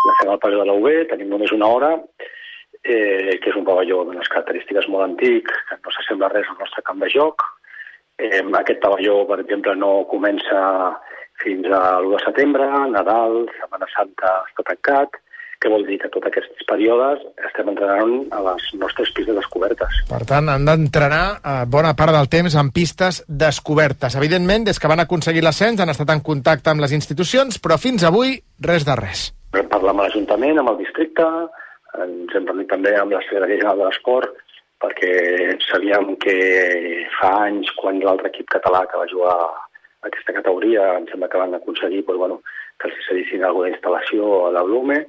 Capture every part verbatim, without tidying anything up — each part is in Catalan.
la fem al pavelló de la U B, tenim només una hora, eh, que és un pavelló d'unes característiques molt antic, que no s'assembla res al nostre camp de joc. Eh, aquest pavelló, per exemple, no comença fins a l'u de setembre, Nadal, Setmana Santa està tancat. Què vol dir? Que tots aquests períodes estem entrenant a les nostres pistes descobertes. Per tant, han d'entrenar eh, bona part del temps en pistes descobertes. Evidentment, des que van aconseguir l'ascens han estat en contacte amb les institucions, però fins avui res de res. Vam parlar amb l'Ajuntament, amb el districte, ens hem reunit també amb la Secretaria General de l'Esport, perquè sabíem que fa anys, quan l'altre equip català que va jugar a aquesta categoria, em sembla que van aconseguir doncs, bueno, que els cedissin alguna instal·lació a la Blume,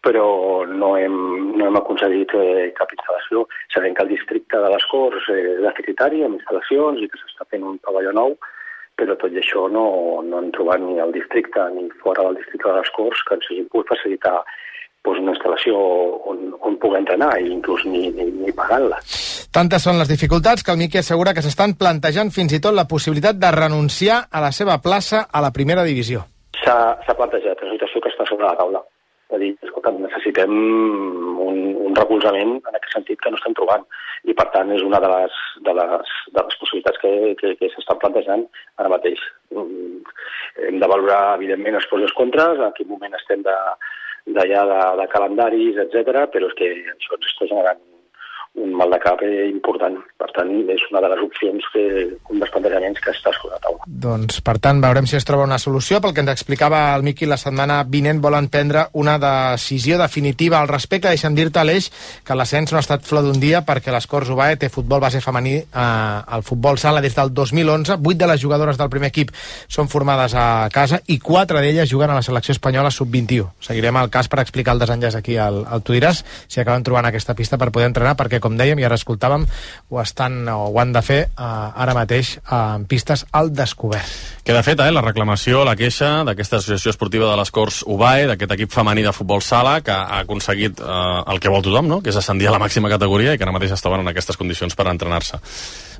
però no hem, no hem aconseguit eh, cap instal·lació. Sabem que el districte de les Corts eh, és deficitari amb instal·lacions i que s'està fent un pavelló nou, però tot i això no, no hem trobat ni al districte ni fora del districte de les Corts que ens hagin pogut facilitar doncs, una instal·lació on, on pugui entrenar i inclús ni, ni, ni pagant-la. Tantes són les dificultats que el Miqui assegura que s'estan plantejant fins i tot la possibilitat de renunciar a la seva plaça a la primera divisió. S'ha plantejat, és una situació que està sobre la taula. És a dir, escolta, necessitem un, un recolzament en aquest sentit que no estem trobant. I, per tant, és una de les, de les, de les possibilitats que, que, que s'estan plantejant ara mateix. Hem de valorar, evidentment, els pros i els contres, en quin moment estem de, d'allà de, de calendaris, etcètera, però és que això ens està generant un mal de cap important. Per tant, és una de les opcions, que, un dels plantejaments que està sobre la taula. Doncs, per tant, veurem si es troba una solució. Pel que ens explicava el Miqui, la setmana vinent volen prendre una decisió definitiva al respecte. Deixa'm dir-te, Aleix, que l'ascens no ha estat flor d'un dia perquè les Corts U B A E té futbol base femení eh, al futbol sala des del dos mil onze. Vuit de les jugadores del primer equip són formades a casa i quatre d'elles juguen a la selecció espanyola sub vint-i-u. Seguirem el cas per explicar el desenllaç aquí al, al Tu diràs, si acaben trobant aquesta pista per poder entrenar, perquè com dèiem, i ara escoltàvem, ho estan o ho han de fer eh, ara mateix eh, en pistes al descobert. Queda feta eh, la reclamació, la queixa d'aquesta associació esportiva de les Corts U B A E, d'aquest equip femení de futbol sala, que ha aconseguit eh, el que vol tothom, no? Que és ascendir a la màxima categoria i que ara mateix estaven en aquestes condicions per entrenar-se.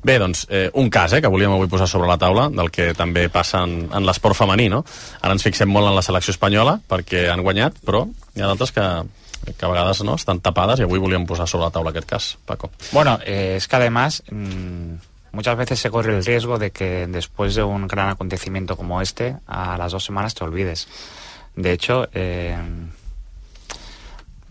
Bé, doncs, eh, un cas eh, que volíem avui posar sobre la taula, del que també passa en, en l'esport femení, no? Ara ens fixem molt en la selecció espanyola, perquè han guanyat, però hi ha d'altres que... que a vegades no están tapadas, y avui volíem posar sobre la taula aquest cas, Paco. Bueno, eh, es que además mmm, muchas veces se corre el riesgo de que después de un gran acontecimiento como este, a las dos semanas te olvides. De hecho, eh,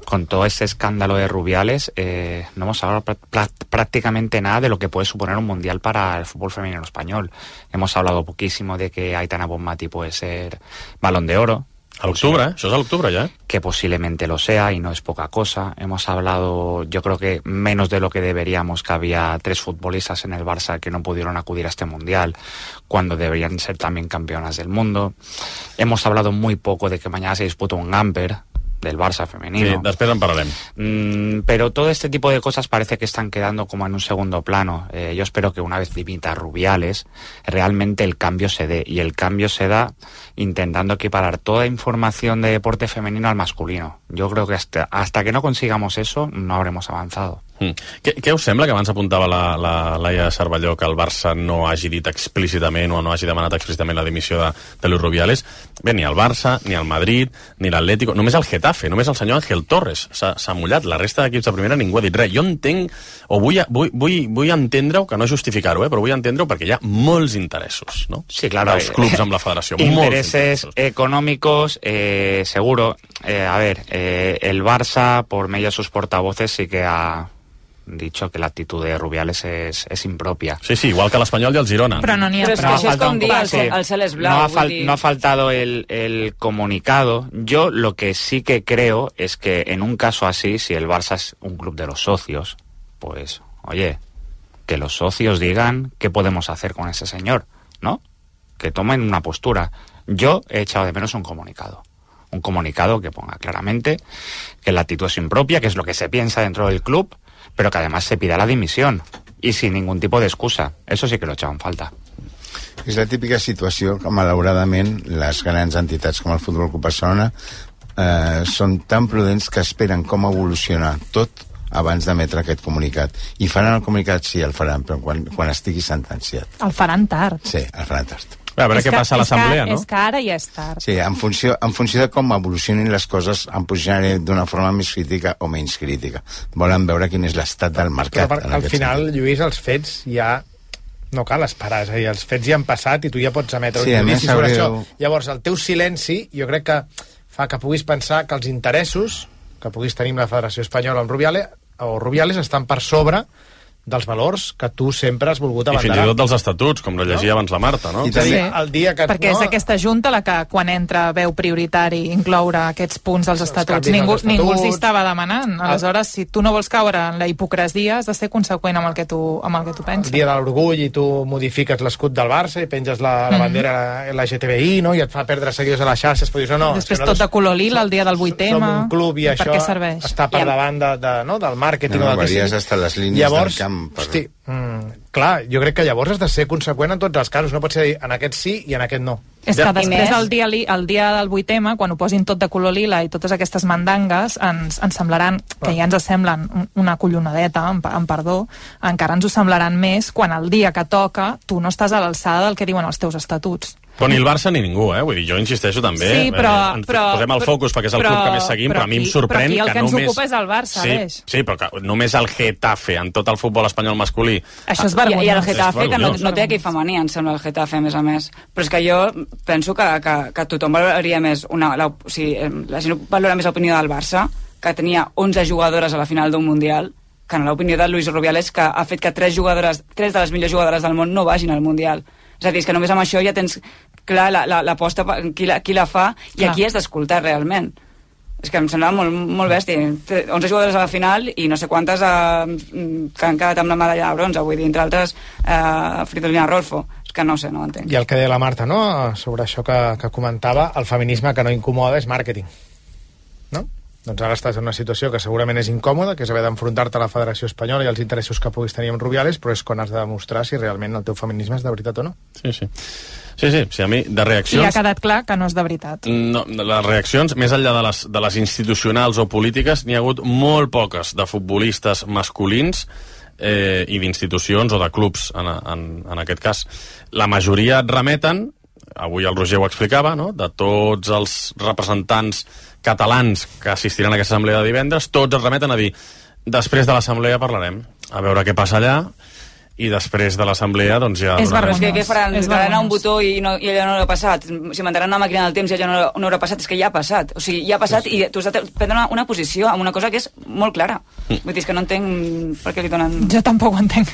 con todo este escándalo de Rubiales, eh, no hemos hablado pr pr prácticamente nada de lo que puede suponer un mundial para el fútbol femenino español. Hemos hablado poquísimo de que Aitana Bonmati puede ser Balón de Oro. A l'octubre, eh? Això és a l'octubre ja, eh? Que posiblemente lo sea y no es poca cosa. Hemos hablado, yo creo que menos de lo que deberíamos, que había tres futbolistas en el Barça que no pudieron acudir a este Mundial, cuando deberían ser también campeonas del mundo. Hemos hablado muy poco de que mañana se disputa un Gamper del Barça femenino. Sí, després en parlarem. Mm, pero todo este tipo de cosas parece que están quedando como en un segundo plano. Eh, yo espero que una vez dimita Rubiales, realmente el cambio se dé. Y el cambio se da intentando equiparar toda información de deporte femenino al masculino. Yo creo que hasta, hasta que no consigamos eso, no habremos avanzado. Mm. Què, què us sembla, que abans apuntava la, la Laia Cervelló, que el Barça no hagi dit explícitament o no hagi demanat explícitament la dimissió de, de Luis Rubiales? Bé, ni el Barça, ni el Madrid, ni l'Atlético, només el Getafe, només el senyor Ángel Torres s'ha mullat. La resta d'equips de primera ningú ha dit res. Jo entenc, o vull, vull, vull, vull entendre-ho, que no justificar-ho, eh, però vull entendre-ho perquè hi ha molts interessos, no? Sí, claro. Els clubs amb la federació. Intereses económicos, eh, seguro. Eh, a ver, eh, el Barça, por medio de sus portavoces, sí que ha dicho que la actitud de Rubiales es, es impropia. Sí, sí, igual que l'Espanyol i el Girona. Però no n'hi ha Però és que prou. això és com dir el, sí. el cel és blau. No ha, fal dir... no ha faltado el, el comunicado. Yo lo que sí que creo es que en un caso así, si el Barça es un club de los socios, pues, oye, que los socios digan qué podemos hacer con ese señor, ¿no? Que tomen una postura. Yo he echado de menos un comunicado. Un comunicado que ponga claramente que la actitud es impropia, que es lo que se piensa dentro del club, pero que además se pida la dimisión y sin ningún tipo de excusa. Eso sí que lo echaban falta. És la típica situació que, malauradament, les grans entitats com el Futbol Club Barcelona eh, són tan prudents que esperen com evoluciona tot abans d'emetre aquest comunicat. I faran el comunicat? Sí, el faran, però quan, quan estigui sentenciat. El faran tard. Sí, el faran tard. A veure és què que, passa a l'assemblea, no? És que ara ja és tard. Sí, en funció, en funció de com evolucionin les coses, em posicionaré d'una forma més crítica o menys crítica. Volen veure quin és l'estat del mercat. Però per, al final, sentit. Lluís, els fets ja no cal esperar, és a dir, els fets ja han passat i tu ja pots emetre sí, un judici sobre això. Haureu... Llavors, el teu silenci, jo crec que fa que puguis pensar que els interessos que puguis tenir amb la Federació Espanyola amb Rubiales, o Rubiales estan per sobre dels valors que tu sempre has volgut abanderar. I fins i tot dels estatuts, com lo llegia no? abans la Marta, no? I també, sí. el dia que... Perquè no... és aquesta junta la que, quan entra, veu prioritari incloure aquests punts dels estatuts. Ningú, estatuts. Ningú els estava demanant. Aleshores, si tu no vols caure en la hipocresia, has de ser conseqüent amb el que tu, amb el que tu penses. El dia de l'orgull i tu modifiques l'escut del Barça i penges la, la bandera mm-hmm. L G T B I, no? I et fa perdre seguidors a les xarxes, però dius, no, no... Després no, tot de color lila, el dia del vuit ema. Som un club i això està per davant de, de, no? del màrqueting no, o del que sigui. Hasta les línies Llavors, del camp. Per... Hosti, Mm, clar, jo crec que llavors has de ser conseqüent en tots els casos, no pot ser dir en aquest sí i en aquest no. És que després el dia, el dia del vuit ema, quan ho posin tot de color lila i totes aquestes mandangues, ens, ens semblaran, que ja ens semblen una collonadeta, en, en perdó, encara ens ho semblaran més quan el dia que toca tu no estàs a l'alçada del que diuen els teus estatuts. Però ni el Barça ni ningú, eh? Vull dir, jo insisteixo també. Sí, però... Eh, ens però posem el focus perquè és el però, club que més seguim, però, però a mi em sorprèn que només... Però aquí el que, que ens només... ocupa és el Barça, sí, Aleix. Sí, però que només el Getafe, en tot el futbol espanyol masculí... Això és vergonyós. I, i el Getafe, que no, no té equip femení, em sembla, el Getafe, a més a més. Però és que jo penso que, que, que tothom valoraria més... Una, la, o sigui, la gent valora més l'opinió del Barça, que tenia onze jugadores a la final d'un Mundial, que en l'opinió de Luis Rubiales, que ha fet que tres jugadores, tres de les millors jugadores del món no vagin al Mundial. És a dir, és que només amb això ja tens clar l'aposta, la, la, qui, la, qui la fa i clar. Aquí has d'escoltar realment. És que em semblava molt, molt bèstia. onze jugadores a la final i no sé quantes eh, que han quedat amb la medalla de bronze, vull dir, entre altres eh, Fridolina Rolfo. És que no sé, no ho entenc. I el que deia la Marta, no?, sobre això que, que comentava, el feminisme que no incomoda és màrqueting, no? Doncs ara estàs en una situació que segurament és incòmoda, que és haver d'enfrontar-te a la Federació Espanyola i als interessos que puguis tenir amb Rubiales, però és quan has de demostrar si realment el teu feminisme és de veritat o no. Sí, sí. Sí, sí, sí, a mi, de reaccions... I ha quedat clar que no és de veritat. No, les reaccions, més enllà de les, de les institucionals o polítiques, n'hi ha hagut molt poques de futbolistes masculins eh, i d'institucions o de clubs, en, en, en aquest cas. La majoria et remeten, avui el Roger ho explicava, no?, de tots els representants catalans que assistiran a aquesta assemblea de divendres, tots es remeten a dir després de l'assemblea parlarem, a veure què passa allà, i després de l'assemblea doncs ja... És vergonyós. És que què faran? Daran un botó i, no, i allò no haurà passat? Si mandaran una màquina del temps i allò no, no haurà passat? És que ja ha passat. O sigui, ja ha passat i tu has de prendre una, una posició amb una cosa que és molt clara. Mm. Vull dir, és que no entenc per què li donen... Jo tampoc ho entenc.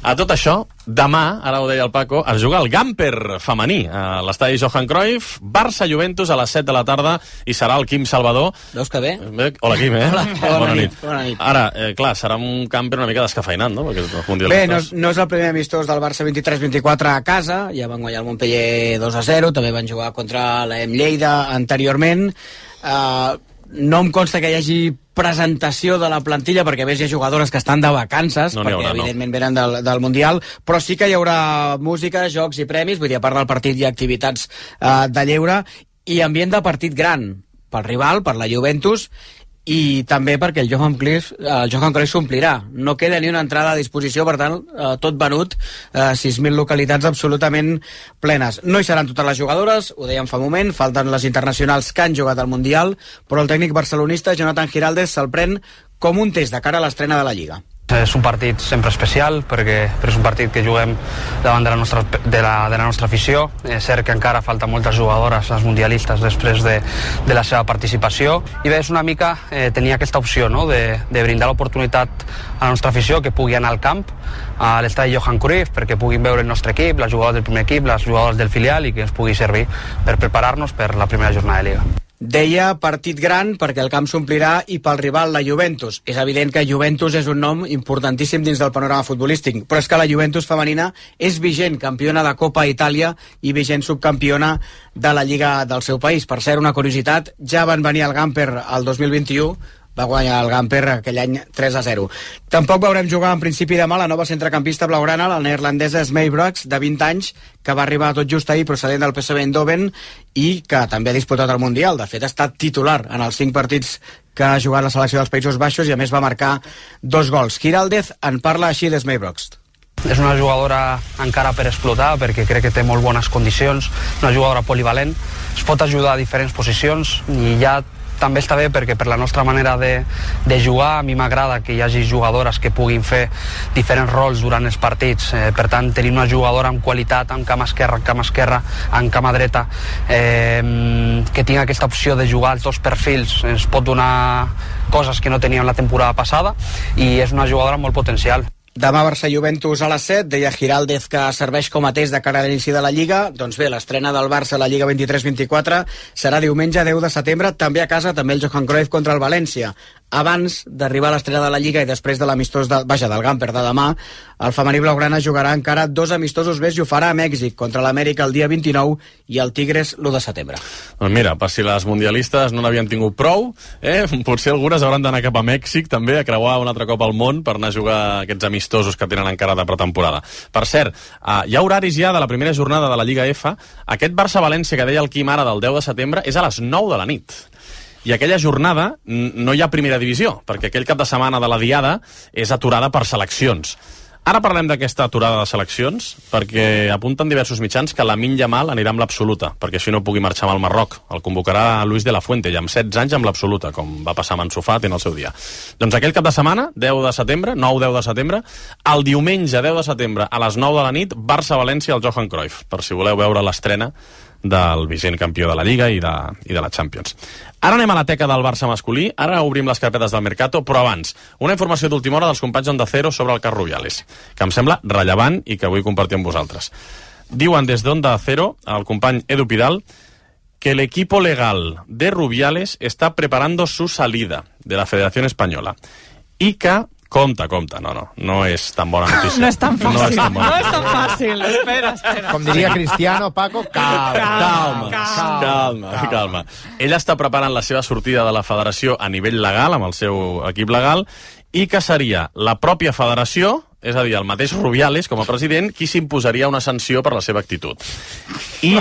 A tot això, demà, ara ho deia el Paco, es juga el Gamper femení a l'estadi Johan Cruyff, Barça-Juventus a les set de la tarda i serà el Quim Salvador. Veus que bé? Hola, Quim, eh? Hola, bona, bona, nit. Bona nit. Ara, eh, clar, serà un Gamper una mica descafeinat, no? Perquè bé, no, no és el primer amistós del Barça vint-i-tres vint-i-quatre a casa, ja van guanyar el Montpellier dos a zero, també van jugar contra l'E M Lleida anteriorment. Uh, no em consta que hi hagi presentació de la plantilla, perquè a més hi ha jugadores que estan de vacances, no perquè haurà, evidentment no. venen del, del Mundial, però sí que hi haurà música, jocs i premis, vull dir, a part del partit hi ha activitats uh, de lleure, i ambient de partit gran, pel rival, per la Juventus, i també perquè el Johan Cruyff, el Johan Cruyff s'omplirà. No queda ni una entrada a disposició, per tant, eh, tot venut, eh, sis mil localitats absolutament plenes. No hi seran totes les jugadores, ho dèiem fa un moment, falten les internacionals que han jugat al Mundial, però el tècnic barcelonista, Jonathan Giraldez, se'l pren com un test de cara a l'estrena de la Lliga. És un partit sempre especial perquè, perquè és un partit que juguem davant de la nostra, de la, de la nostra afició. És cert que encara falta moltes jugadores, les mundialistes, després de, de la seva participació, i bé, és una mica eh, tenir aquesta opció, no?, de, de brindar l'oportunitat a la nostra afició que pugui anar al camp, a l'estadi Johan Cruyff, perquè puguin veure el nostre equip, les jugadores del primer equip, les jugadores del filial, i que ens pugui servir per preparar-nos per la primera jornada de Lliga. Deia partit gran perquè el camp s'omplirà i pel rival la Juventus. És evident que Juventus és un nom importantíssim dins del panorama futbolístic, però és que la Juventus femenina és vigent campiona de Copa Itàlia i vigent subcampiona de la Lliga del seu país. Per cert, una curiositat, ja van venir al Gamper el dos mil vint-i-u, va guanyar el Gamper aquell any tres a zero. Tampoc veurem jugar en principi demà la nova centrecampista blaugrana, la neerlandesa Smee Brooks, de vint anys, que va arribar tot just ahir procedent del P S V Eindhoven i que també ha disputat el Mundial. De fet, ha estat titular en els cinc partits que ha jugat la selecció dels Països Baixos i a més va marcar dos gols. Giraldez en parla així de Smee Brooks. és una jugadora encara per explotar, perquè crec que té molt bones condicions, una jugadora polivalent, es pot ajudar a diferents posicions, i ja també està bé perquè per la nostra manera de, de jugar a mi m'agrada que hi hagi jugadores que puguin fer diferents rols durant els partits, eh, per tant tenir una jugadora amb qualitat en cama esquerra, en cama esquerra, en cama dreta, eh, que tingui aquesta opció de jugar als dos perfils, ens pot donar coses que no teníem la temporada passada, i és una jugadora amb molt potencial. Demà Barça-Juventus a les set, deia Giraldez que serveix com a test de cara a l'inici de la Lliga. Doncs bé, l'estrena del Barça a la Lliga vint-i-tres vint-i-quatre serà diumenge deu de setembre, també a casa, també el Johan Cruyff contra el València. Abans d'arribar a l'estrena de la Lliga i després de l'amistós de, vaja, del Gamper de demà, el femení blaugrana jugarà encara dos amistosos més i ho farà a Mèxic, contra l'Amèrica el dia vint-i-nou i el Tigres l'u de setembre. Doncs mira, per si les mundialistes no n'havien tingut prou, eh, potser algunes hauran d'anar cap a Mèxic també a creuar un altre cop al món per anar a jugar aquests amistosos que tenen encara de pretemporada. Per cert, eh, hi ha horaris ja de la primera jornada de la Lliga F. Aquest Barça-València que deia el Quim ara del deu de setembre és a les nou de la nit. I aquella jornada no hi ha primera divisió, perquè aquell cap de setmana de la Diada és aturada per seleccions. Ara parlem d'aquesta aturada de seleccions, perquè apunten diversos mitjans que Lamine Yamal anirà amb l'absoluta, perquè així no pugui marxar amb el Marroc. El convocarà Luis de la Fuente, ja amb setze anys amb l'absoluta, com va passar amb Ansu Fati en el seu dia. Doncs aquell cap de setmana, deu de setembre, nou deu de setembre, el diumenge deu de setembre, a les nou de la nit, Barça-València al Johan Cruyff, per si voleu veure l'estrena del vigent campió de la Lliga i de, i de la Champions. Ara anem a la teca del Barça masculí, ara obrim les carpetes del Mercato, però abans, una informació d'última hora dels companys d'Onda Cero sobre el cas Rubiales, que em sembla rellevant i que vull compartir amb vosaltres. Diuen des d'Onda Cero, el company Edu Pidal, que el equipo legal de Rubiales está preparando su salida de la Federación Española y que Compte, compte, no, no, no és tan bona notícia. No és tan fàcil, no és tan, no és tan fàcil, espera, espera. Com diria Cristiano, Paco, calma, calma, calma, calma, calma, calma. Ell està preparant la seva sortida de la federació a nivell legal, amb el seu equip legal, i que seria la pròpia federació, és a dir, el mateix Rubiales, com a president, qui s'imposaria una sanció per la seva actitud. I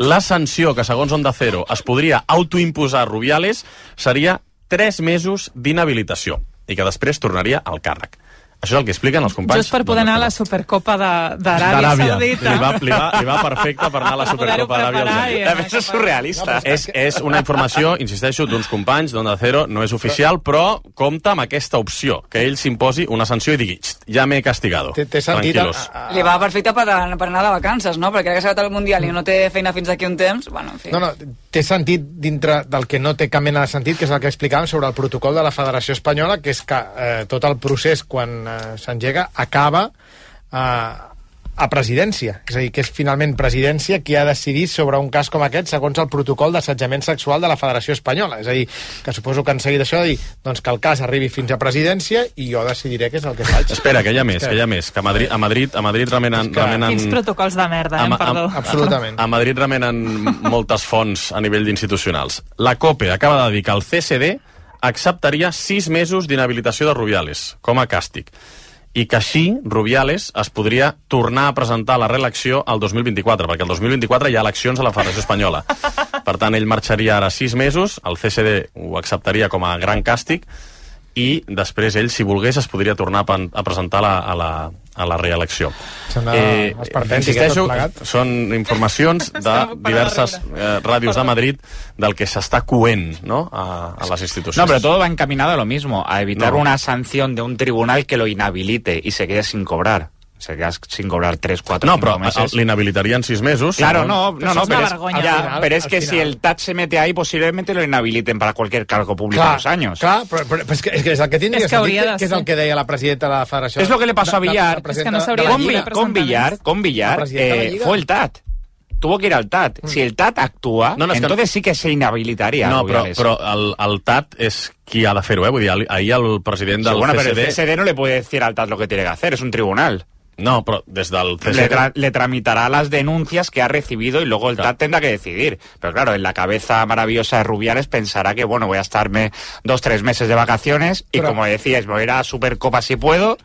la sanció que, segons Onda Cero, es podria autoimposar a Rubiales seria tres mesos d'inhabilitació i que després tornaria al càrrec. Això és el que expliquen els companys. Just per poder anar a la Supercopa d'Aràbia Saudita. Li va, li, va, li va perfecte per anar a la Supercopa d'Aràbia Saudita. A més és surrealista. No, és, és una informació, insisteixo, d'uns companys d'Onda Cero, no és oficial, però compta amb aquesta opció, que ell s'imposi una sanció i digui, ja m'he castigado. Té sentit. Tranquilos. A, a... Li va perfecte per, per anar de vacances, no? Perquè ara que s'ha acabat el Mundial i no té feina fins aquí un temps, bueno, en fi. No, no, té sentit dintre del que no té cap mena de sentit, que és el que explicàvem sobre el protocol de la Federació Espanyola, que és que eh, tot el procés, quan eh, s'engega, acaba eh, a presidència. És a dir, que és finalment presidència qui ha decidit sobre un cas com aquest segons el protocol d'assetjament sexual de la Federació Espanyola. És a dir, que suposo que han seguit això de dir doncs que el cas arribi fins a presidència i jo decidiré què és el que faig. Espera, que hi ha més, que hi ha més. Que a Madrid, a Madrid, a Madrid remenen... Que... remenen... Quins protocols de merda, eh? Perdó. A, absolutament. A Madrid remenen moltes fonts a nivell d'institucionals. La COPE acaba de dir que el C S D acceptaria sis mesos d'inhabilitació de Rubiales com a càstig, i que així Rubiales es podria tornar a presentar a la reelecció al dos mil vint-i-quatre, perquè el dos mil vint-i-quatre hi ha eleccions a la Federació Espanyola. Per tant, ell marxaria ara sis mesos, el C S D ho acceptaria com a gran càstig, i després ell, si volgués, es podria tornar a presentar a la, a la, a la reelecció. Eh, insisteixo, són informacions de diverses eh, ràdios de Madrid del que s'està coent, ¿no?, a, a les institucions. No, pero todo va encaminado a lo mismo, a evitar no. una sanción de un tribunal que lo inhabilite y se quede sin cobrar. Se queda sin cobrar tres, cuatro, no, cinco però meses. L'inhabilitarien sis mesos. Claro, no, no, no, pero, pero, es, ya, pero es que final. si el T A T se mete ahí, posiblemente lo inhabiliten para cualquier cargo público clar, dos años. Clar, però, però, però és, que, és que és el que tindria és que sentit, de que és el que deia la presidenta de la Federació. Es lo que le pasó a Villar. Es que no s'hauria con, de Vi, con Villar, con Villar eh, fue el T A T. Tuvo que ir al T A T. Mm. Si el T A T actúa, no, no, entonces que... sí que se inhabilitaría. No, però, però el, el T A T és qui ha de fer-ho, eh? Vull dir, ahir el president del sí, bueno, C S D... Pero el C S D no le puede decir al T A T lo que tiene que hacer, es un tribunal. No, pero desde el C S D... Le, tra le tramitará las denuncias que ha recibido y luego el claro. T A T tendrá que decidir. Pero claro, en la cabeza maravillosa de Rubiales pensará que, bueno, voy a estarme dos, tres meses de vacaciones y, pero... como decías, voy a ir a Supercopa si puedo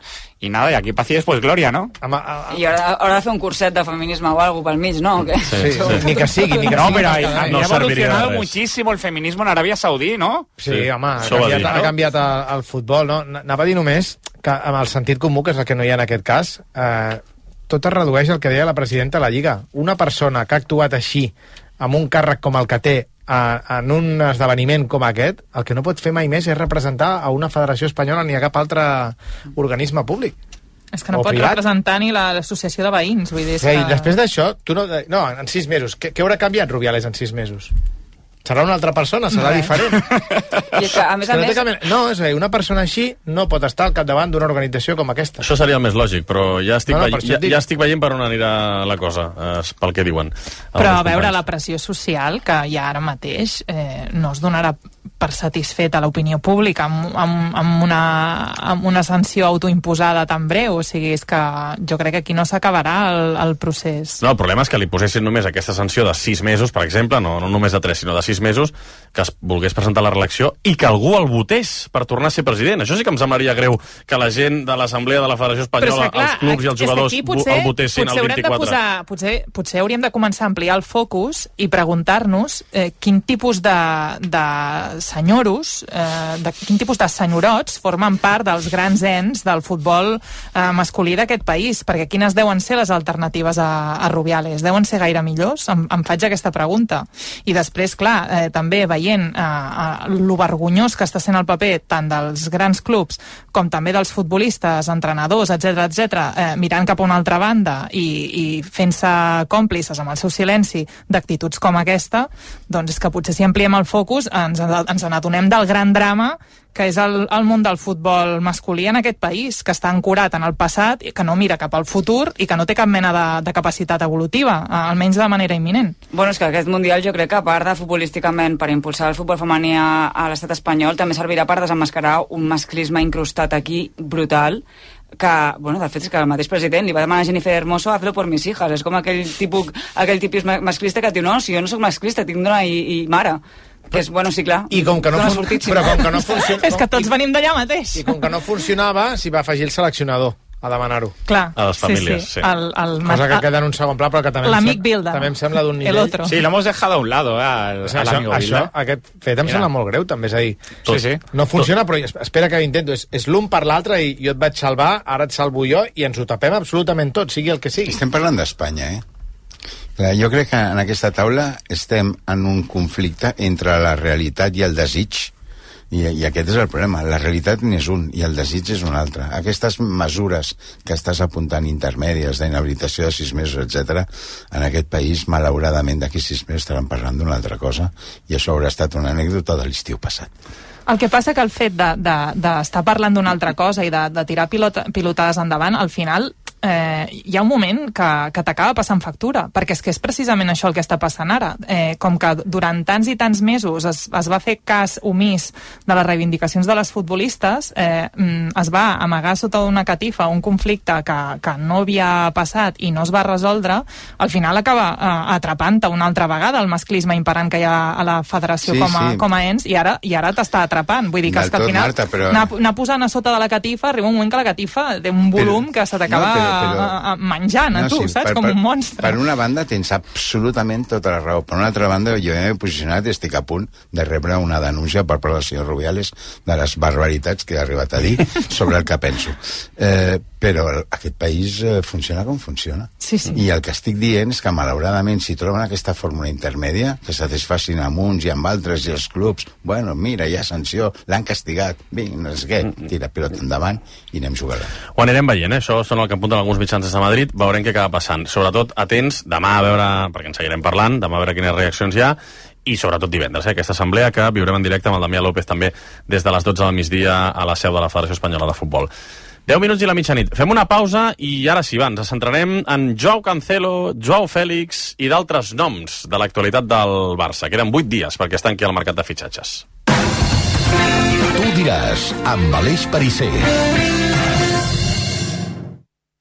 y nada, y aquí paz y después gloria, ¿no? Ama, a, a... I haurà, haurà de fer un curset de feminisme o algo pel mig, ¿no? ¿O sí, sí, sí. Ni que sigui, ni que no, sigui. Pero No, ha, ha no evolucionado muchísimo el feminismo en Arabia Saudí, ¿no? Sí, sí, home, ha Això canviat, dir, ha no? canviat el, el futbol, no? Anava a dir només que amb el sentit comú, que és el que no hi ha en aquest cas, eh, tot es redueix al que deia la presidenta de la Lliga. Una persona que ha actuat així, amb un càrrec com el que té, a, en un esdeveniment com aquest, el que no pot fer mai més és representar a una federació espanyola ni a cap altre organisme públic. És que no O pot privat. representar ni la- l'associació de veïns, vull dir... és Sí, i que... després d'això, tu no... No, en sis mesos. Què, què haurà canviat Rubiales en sis mesos? Serà una altra persona, serà Res. diferent. I és que, a més Que a no, té més, cap... no, és a dir, una persona així no pot estar al capdavant d'una organització com aquesta. Això seria el més lògic, però ja estic, No, no, no, per no, això ja, et dic. ja estic veient per on anirà la cosa, eh, pel que diuen. Però alguns a veure, companys. la pressió social que hi ha ara mateix eh, no es donarà per satisfet a l'opinió pública amb, amb, amb, una, amb una sanció autoimposada tan breu. O sigui, és que jo crec que aquí no s'acabarà el, el procés. No, el problema és que li posessin només aquesta sanció de sis mesos, per exemple, no, no només de tres, sinó de sis mesos, que es volgués presentar a la reelecció i que algú el votés per tornar a ser president. Això sí que em semblaria greu, que la gent de l'Assemblea de la Federació Espanyola, clar, els clubs i els jugadors aquí vo- el votessin potser el haurem de vint-i-quatre. posar, potser, potser hauríem de començar a ampliar el focus i preguntar-nos eh, quin tipus de, de senyoros, eh, de quin tipus de senyorots formen part dels grans ens del futbol eh, masculí d'aquest país, perquè quines deuen ser les alternatives a, a Rubiales? Deuen ser gaire millors? Em, em faig aquesta pregunta. I després, clar, eh, també veient eh, eh, lo vergonyós que està sent el paper tant dels grans clubs com també dels futbolistes, entrenadors, etcètera, etcètera, eh, mirant cap a una altra banda i, i fent-se còmplices amb el seu silenci d'actituds com aquesta, doncs és que potser si ampliem el focus ens, ens n'adonem del gran drama que és el, el món del futbol masculí en aquest país, que està ancorat en el passat, que no mira cap al futur i que no té cap mena de, de capacitat evolutiva, almenys de manera imminent. Bueno, és que aquest Mundial jo crec que a part de futbolísticament per impulsar el futbol femení a, a l'estat espanyol també servirà per desemmascarar un masclisme incrustat aquí brutal que, bueno, de fet és que el mateix president li va demanar a Jennifer Hermoso a fer-lo por mis hijas. És com aquell tipus, aquell tipus masclista que diu, no, si jo no sóc masclista, tinc dona i, i mare. Que és, bueno, sí, clar. I com que no, Dona fun... sortit, sí, però no? com que no funciona... És que tots venim d'allà mateix. I com que no funcionava, s'hi va afegir el seleccionador a demanar-ho. Clar, A les famílies, sí. sí. sí. El, el, Cosa que queda en un segon pla, però que també, em, L'amic sem... Bilda. també em sembla d'un El nivell... otro. Sí, lo hemos dejado a un lado, eh, al, O sigui, al això, amigo això, Bilda. aquest fet em Mira. sembla molt greu, també, és a dir... Sí, sí. No funciona, però espera que ho intento. És, és l'un per l'altre i jo et vaig salvar, ara et salvo jo i ens ho tapem absolutament tot, sigui el que sigui. Estem parlant d'Espanya, eh? Clar, jo crec que en aquesta taula estem en un conflicte entre la realitat i el desig, i, i aquest és el problema. La realitat n'és un i el desig és un altre. Aquestes mesures que estàs apuntant intermèdies d'inhabilitació de sis mesos, etcètera, en aquest país, malauradament, d'aquí sis mesos estaran parlant d'una altra cosa i això haurà estat una anècdota de l'estiu passat. El que passa que el fet d'estar de, de, de parlant d'una altra cosa i de, de tirar pilota, pilotades endavant, al final eh, hi ha un moment que, que t'acaba passant factura, perquè és que és precisament això el que està passant ara. Eh, com que durant tants i tants mesos es, es va fer cas omís de les reivindicacions de les futbolistes, eh, es va amagar sota una catifa un conflicte que, que no havia passat i no es va resoldre, al final acaba eh, atrapant-te una altra vegada el masclisme imperant que hi ha a la federació Sí, com, a, sí. com a ens, i ara, i ara t'està atrapant. Vull dir que, Del és que al tot, final Marta, però- anar, anar posant a sota de la catifa, arriba un moment que la catifa té un volum Però- que se t'acaba no, però- però- a- a- menjant a tu, sí, saps? per- Com per- un monstre. Per una banda tens absolutament tota la raó. Per una altra banda jo m'he posicionat i estic a punt de rebre una denúncia per part del senyor Rubiales de les barbaritats que ha arribat a dir sobre el que penso. Eh, però aquest país eh, funciona com funciona. Sí, sí. I el que estic dient és que malauradament si troben aquesta fórmula intermèdia que satisfacin amb uns i amb altres i els clubs, bueno, mira, hi ha sanció, l'han castigat, vinga, no sé què, tira pilota endavant i anem jugant. Ho anirem veient, eh? Això són el que apunten alguns mitjans des de Madrid, veurem què acaba passant. Sobretot, atents, demà a veure, perquè en seguirem parlant, demà a veure quines reaccions hi ha, i sobretot divendres, eh? Aquesta assemblea que viurem en directe amb el Damià López també des de les dotze del migdia a la seu de la Federació Espanyola de Futbol. deu minuts i la mitjanit. Fem una pausa i ara sí, va, ens centrarem en Joao Cancelo, Joao Félix i d'altres noms de l'actualitat del Barça. Queden vuit dies perquè es tanqui el mercat de fitxatges. Tu diràs, amb Aleix Perisser.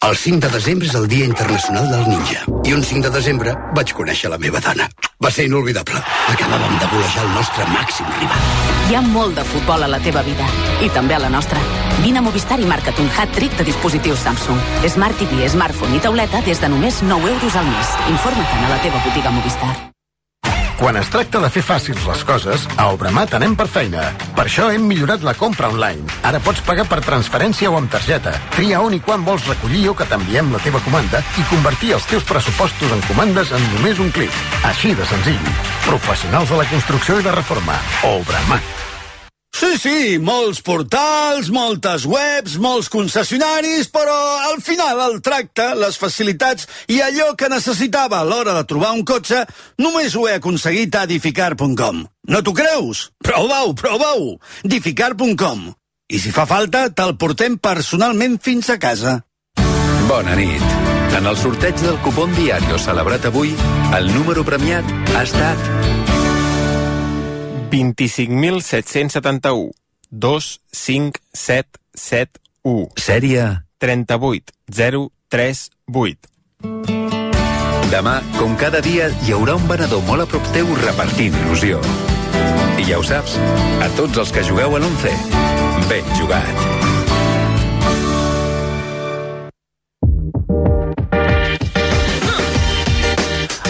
El cinc de desembre és el Dia Internacional del Ninja. I un cinc de desembre vaig conèixer la meva dona. Va ser inolvidable. Acabàvem de golejar el nostre màxim rival. Hi ha molt de futbol a la teva vida. I també a la nostra. Vine a Movistar i marca't un hat-trick de dispositius Samsung. Smart T V, smartphone i tauleta des de només nou euros al mes. Informa't a la teva botiga Movistar. Quan es tracta de fer fàcils les coses, a Obramat anem per feina. Per això hem millorat la compra online. Ara pots pagar per transferència o amb targeta. Tria on i quan vols recollir o que t'enviem la teva comanda i convertir els teus pressupostos en comandes en només un clic. Així de senzill. Professionals de la construcció i la reforma. Obramat. Sí, sí, molts portals, moltes webs, molts concessionaris, però al final el tracte, les facilitats i allò que necessitava a l'hora de trobar un cotxe només ho he aconseguit a Dificar punt com. No t'ho creus? Prova-ho, prova-ho! Dificar punt com. I si fa falta, te'l portem personalment fins a casa. Bona nit. En el sorteig del cupón Diario celebrat avui, el número premiat ha estat vint-i-cinc mil set-cents setanta-u. dos cinc set set u. Sèrie trenta-vuit zero tres vuit. Demà, com cada dia, hi haurà un venedor molt a prop teu repartint il·lusió. I ja ho saps, a tots els que jugueu a l'once, ben jugat.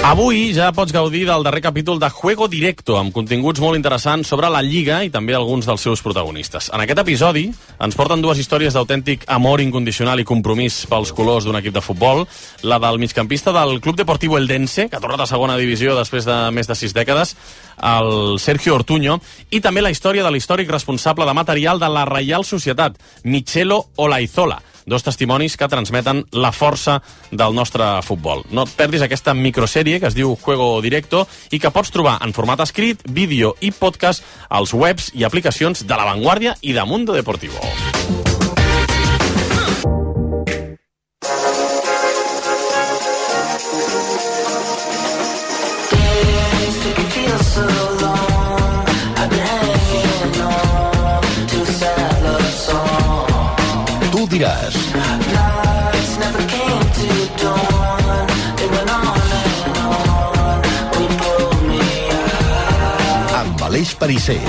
Avui ja pots gaudir del darrer capítol de Juego Directo, amb continguts molt interessants sobre la Lliga i també alguns dels seus protagonistes. En aquest episodi ens porten dues històries d'autèntic amor incondicional i compromís pels colors d'un equip de futbol, la del migcampista del Club Deportivo Eldense, que ha tornat a segona divisió després de més de sis dècades, el Sergio Ortuño, i també la història de l'històric responsable de material de la Reial Societat, Michelo Olaizola. Dos testimonis que transmeten la força del nostre futbol. No et perdis aquesta microsèrie que es diu Juego Directo i que pots trobar en format escrit, vídeo i podcast als webs i aplicacions de La Vanguardia i de Mundo Deportivo. Tu diràs. Amb Aleix Parisser.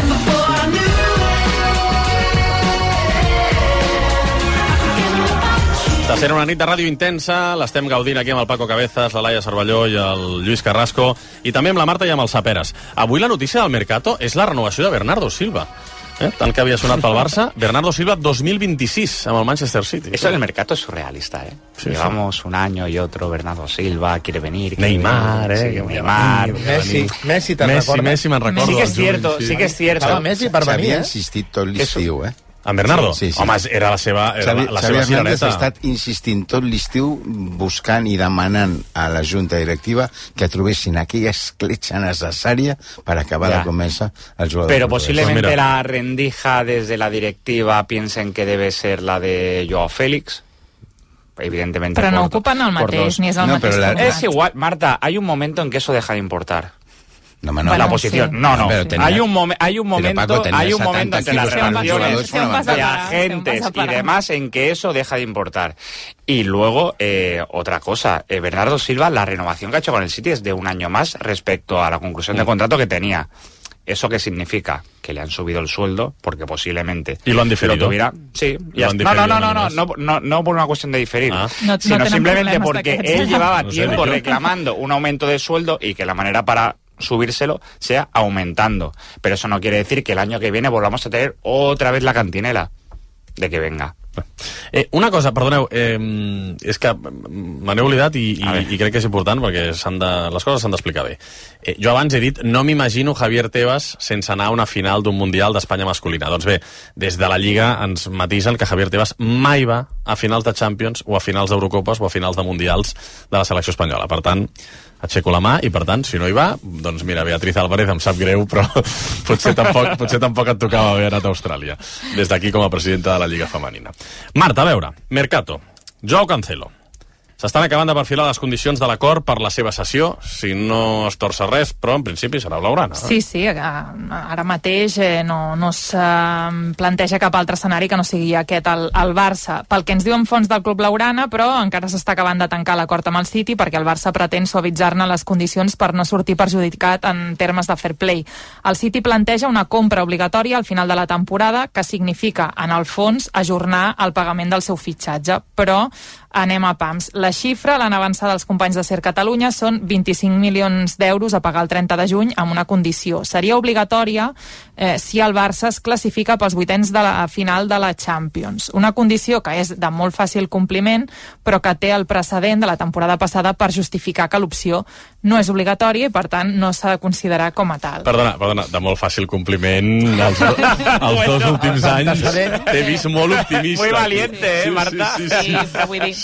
Està sent una nit de ràdio intensa, l'estem gaudint aquí amb el Paco Cabezas, la Laia Cervelló i el Lluís Carrasco, i també amb la Marta i amb el Saperes. Avui la notícia del Mercato és la renovació de Bernardo Silva. Eh? Tant que havia sonat pel Barça, Bernardo Silva dos mil veintiséis amb el Manchester City. Eso del mercado es surrealista, ¿eh? Sí, Llevamos sí. un año y otro, Bernardo Silva quiere venir. Quiere Neymar, venir, eh? Sí, Neymar. Messi, Messi te'n Messi, recordes? Messi me'n recordo. Sí que és cierto, sí que és cierto. Estava Messi per venir, S'havia eh? insistit tot l'estiu, eh? En Bernardo? Sí, sí. Home, era la seva, era Xavi, la, la Xavi seva Hernández cirereta. ha estat insistint tot l'estiu buscant i demanant a la Junta Directiva que trobessin aquella escletxa necessària per acabar Ya. de convèncer el jugador. Pero portuguès. posiblemente Pues mira. la rendija desde la directiva piensen que debe ser la de Joao Félix. Evidentemente. Però no por- ocupen el por mateix, dos. ni és el No, mateix però la- format. Es igual, Marta, hay un momento en que eso deja de importar. No, home, no. Bueno, la posición. sí. No, no. Pero tenía- hay un, momen- hay un Pero, momento, Paco, tenía hay un setenta momento entre las kilos para los relaciones jugadores Se un pasa de para, se un agentes pasa y para. demás en que eso deja de importar. Y luego, eh, otra cosa, eh, Bernardo Silva, la renovación que ha hecho con el City es de un año más respecto a la conclusión de contrato que tenía. ¿Eso qué significa? Que le han subido el sueldo, porque posiblemente... Y lo han diferido. Lo tuviera... Sí. Lo ya han está. No, no, diferido no, no, un año no, no, no, no por una cuestión de diferir, Ah. No- no sino tenen simplemente problemes porque d'aquests. él llevaba No sé, tiempo yo- reclamando un aumento de sueldo y que la manera para subírselo sea aumentando. Pero eso no quiere decir que el año que viene volvamos a tener otra vez la cantinela de que venga. Eh, una cosa, perdoneu, eh, és que me n'he oblidat i, i, i crec que és important perquè s'han de, les coses s'han d'explicar bé. Eh, jo abans he dit, no m'imagino Javier Tebas sense anar a una final d'un Mundial d'Espanya masculina. Doncs bé, des de la Lliga ens matisen que Javier Tebas mai va a finals de Champions o a finals d'Eurocopes o a finals de Mundials de la selecció espanyola. Per tant, aixeco la mà i, per tant, si no hi va, doncs mira, Beatriz Álvarez, em sap greu, però potser tampoc, potser tampoc et tocava haver anat a Austràlia. Des d'aquí com a presidenta de la Lliga Femenina. Marta, a veure, Mercato, Joao Cancelo. S'estan acabant de perfilar les condicions de l'acord per la seva sessió, si no es torça res, però en principi serà blaugrana. Sí, sí, ara mateix eh, no, no es eh, planteja cap altre escenari que no sigui aquest al, al Barça. Pel que ens diuen fons del club blaugrana, però encara s'està acabant de tancar l'acord amb el City perquè el Barça pretén suavitzar-ne les condicions per no sortir perjudicat en termes de fair play. El City planteja una compra obligatòria al final de la temporada que significa, en el fons, ajornar el pagament del seu fitxatge, però anem a pams. La xifra l'han avançada els companys de Ser Catalunya, són vint-i-cinc milions d'euros a pagar el trenta de juny amb una condició. Seria obligatòria eh, si el Barça es classifica pels vuitens de la final de la Champions. Una condició que és de molt fàcil compliment, però que té el precedent de la temporada passada per justificar que l'opció no és obligatòria i, per tant, no s'ha de considerar com a tal. Perdona, perdona, de molt fàcil compliment els, els dos bueno, últims anys t'he vist molt optimista. Muy valiente, eh, Marta? Sí, sí, sí, sí. Sí, però vull dir...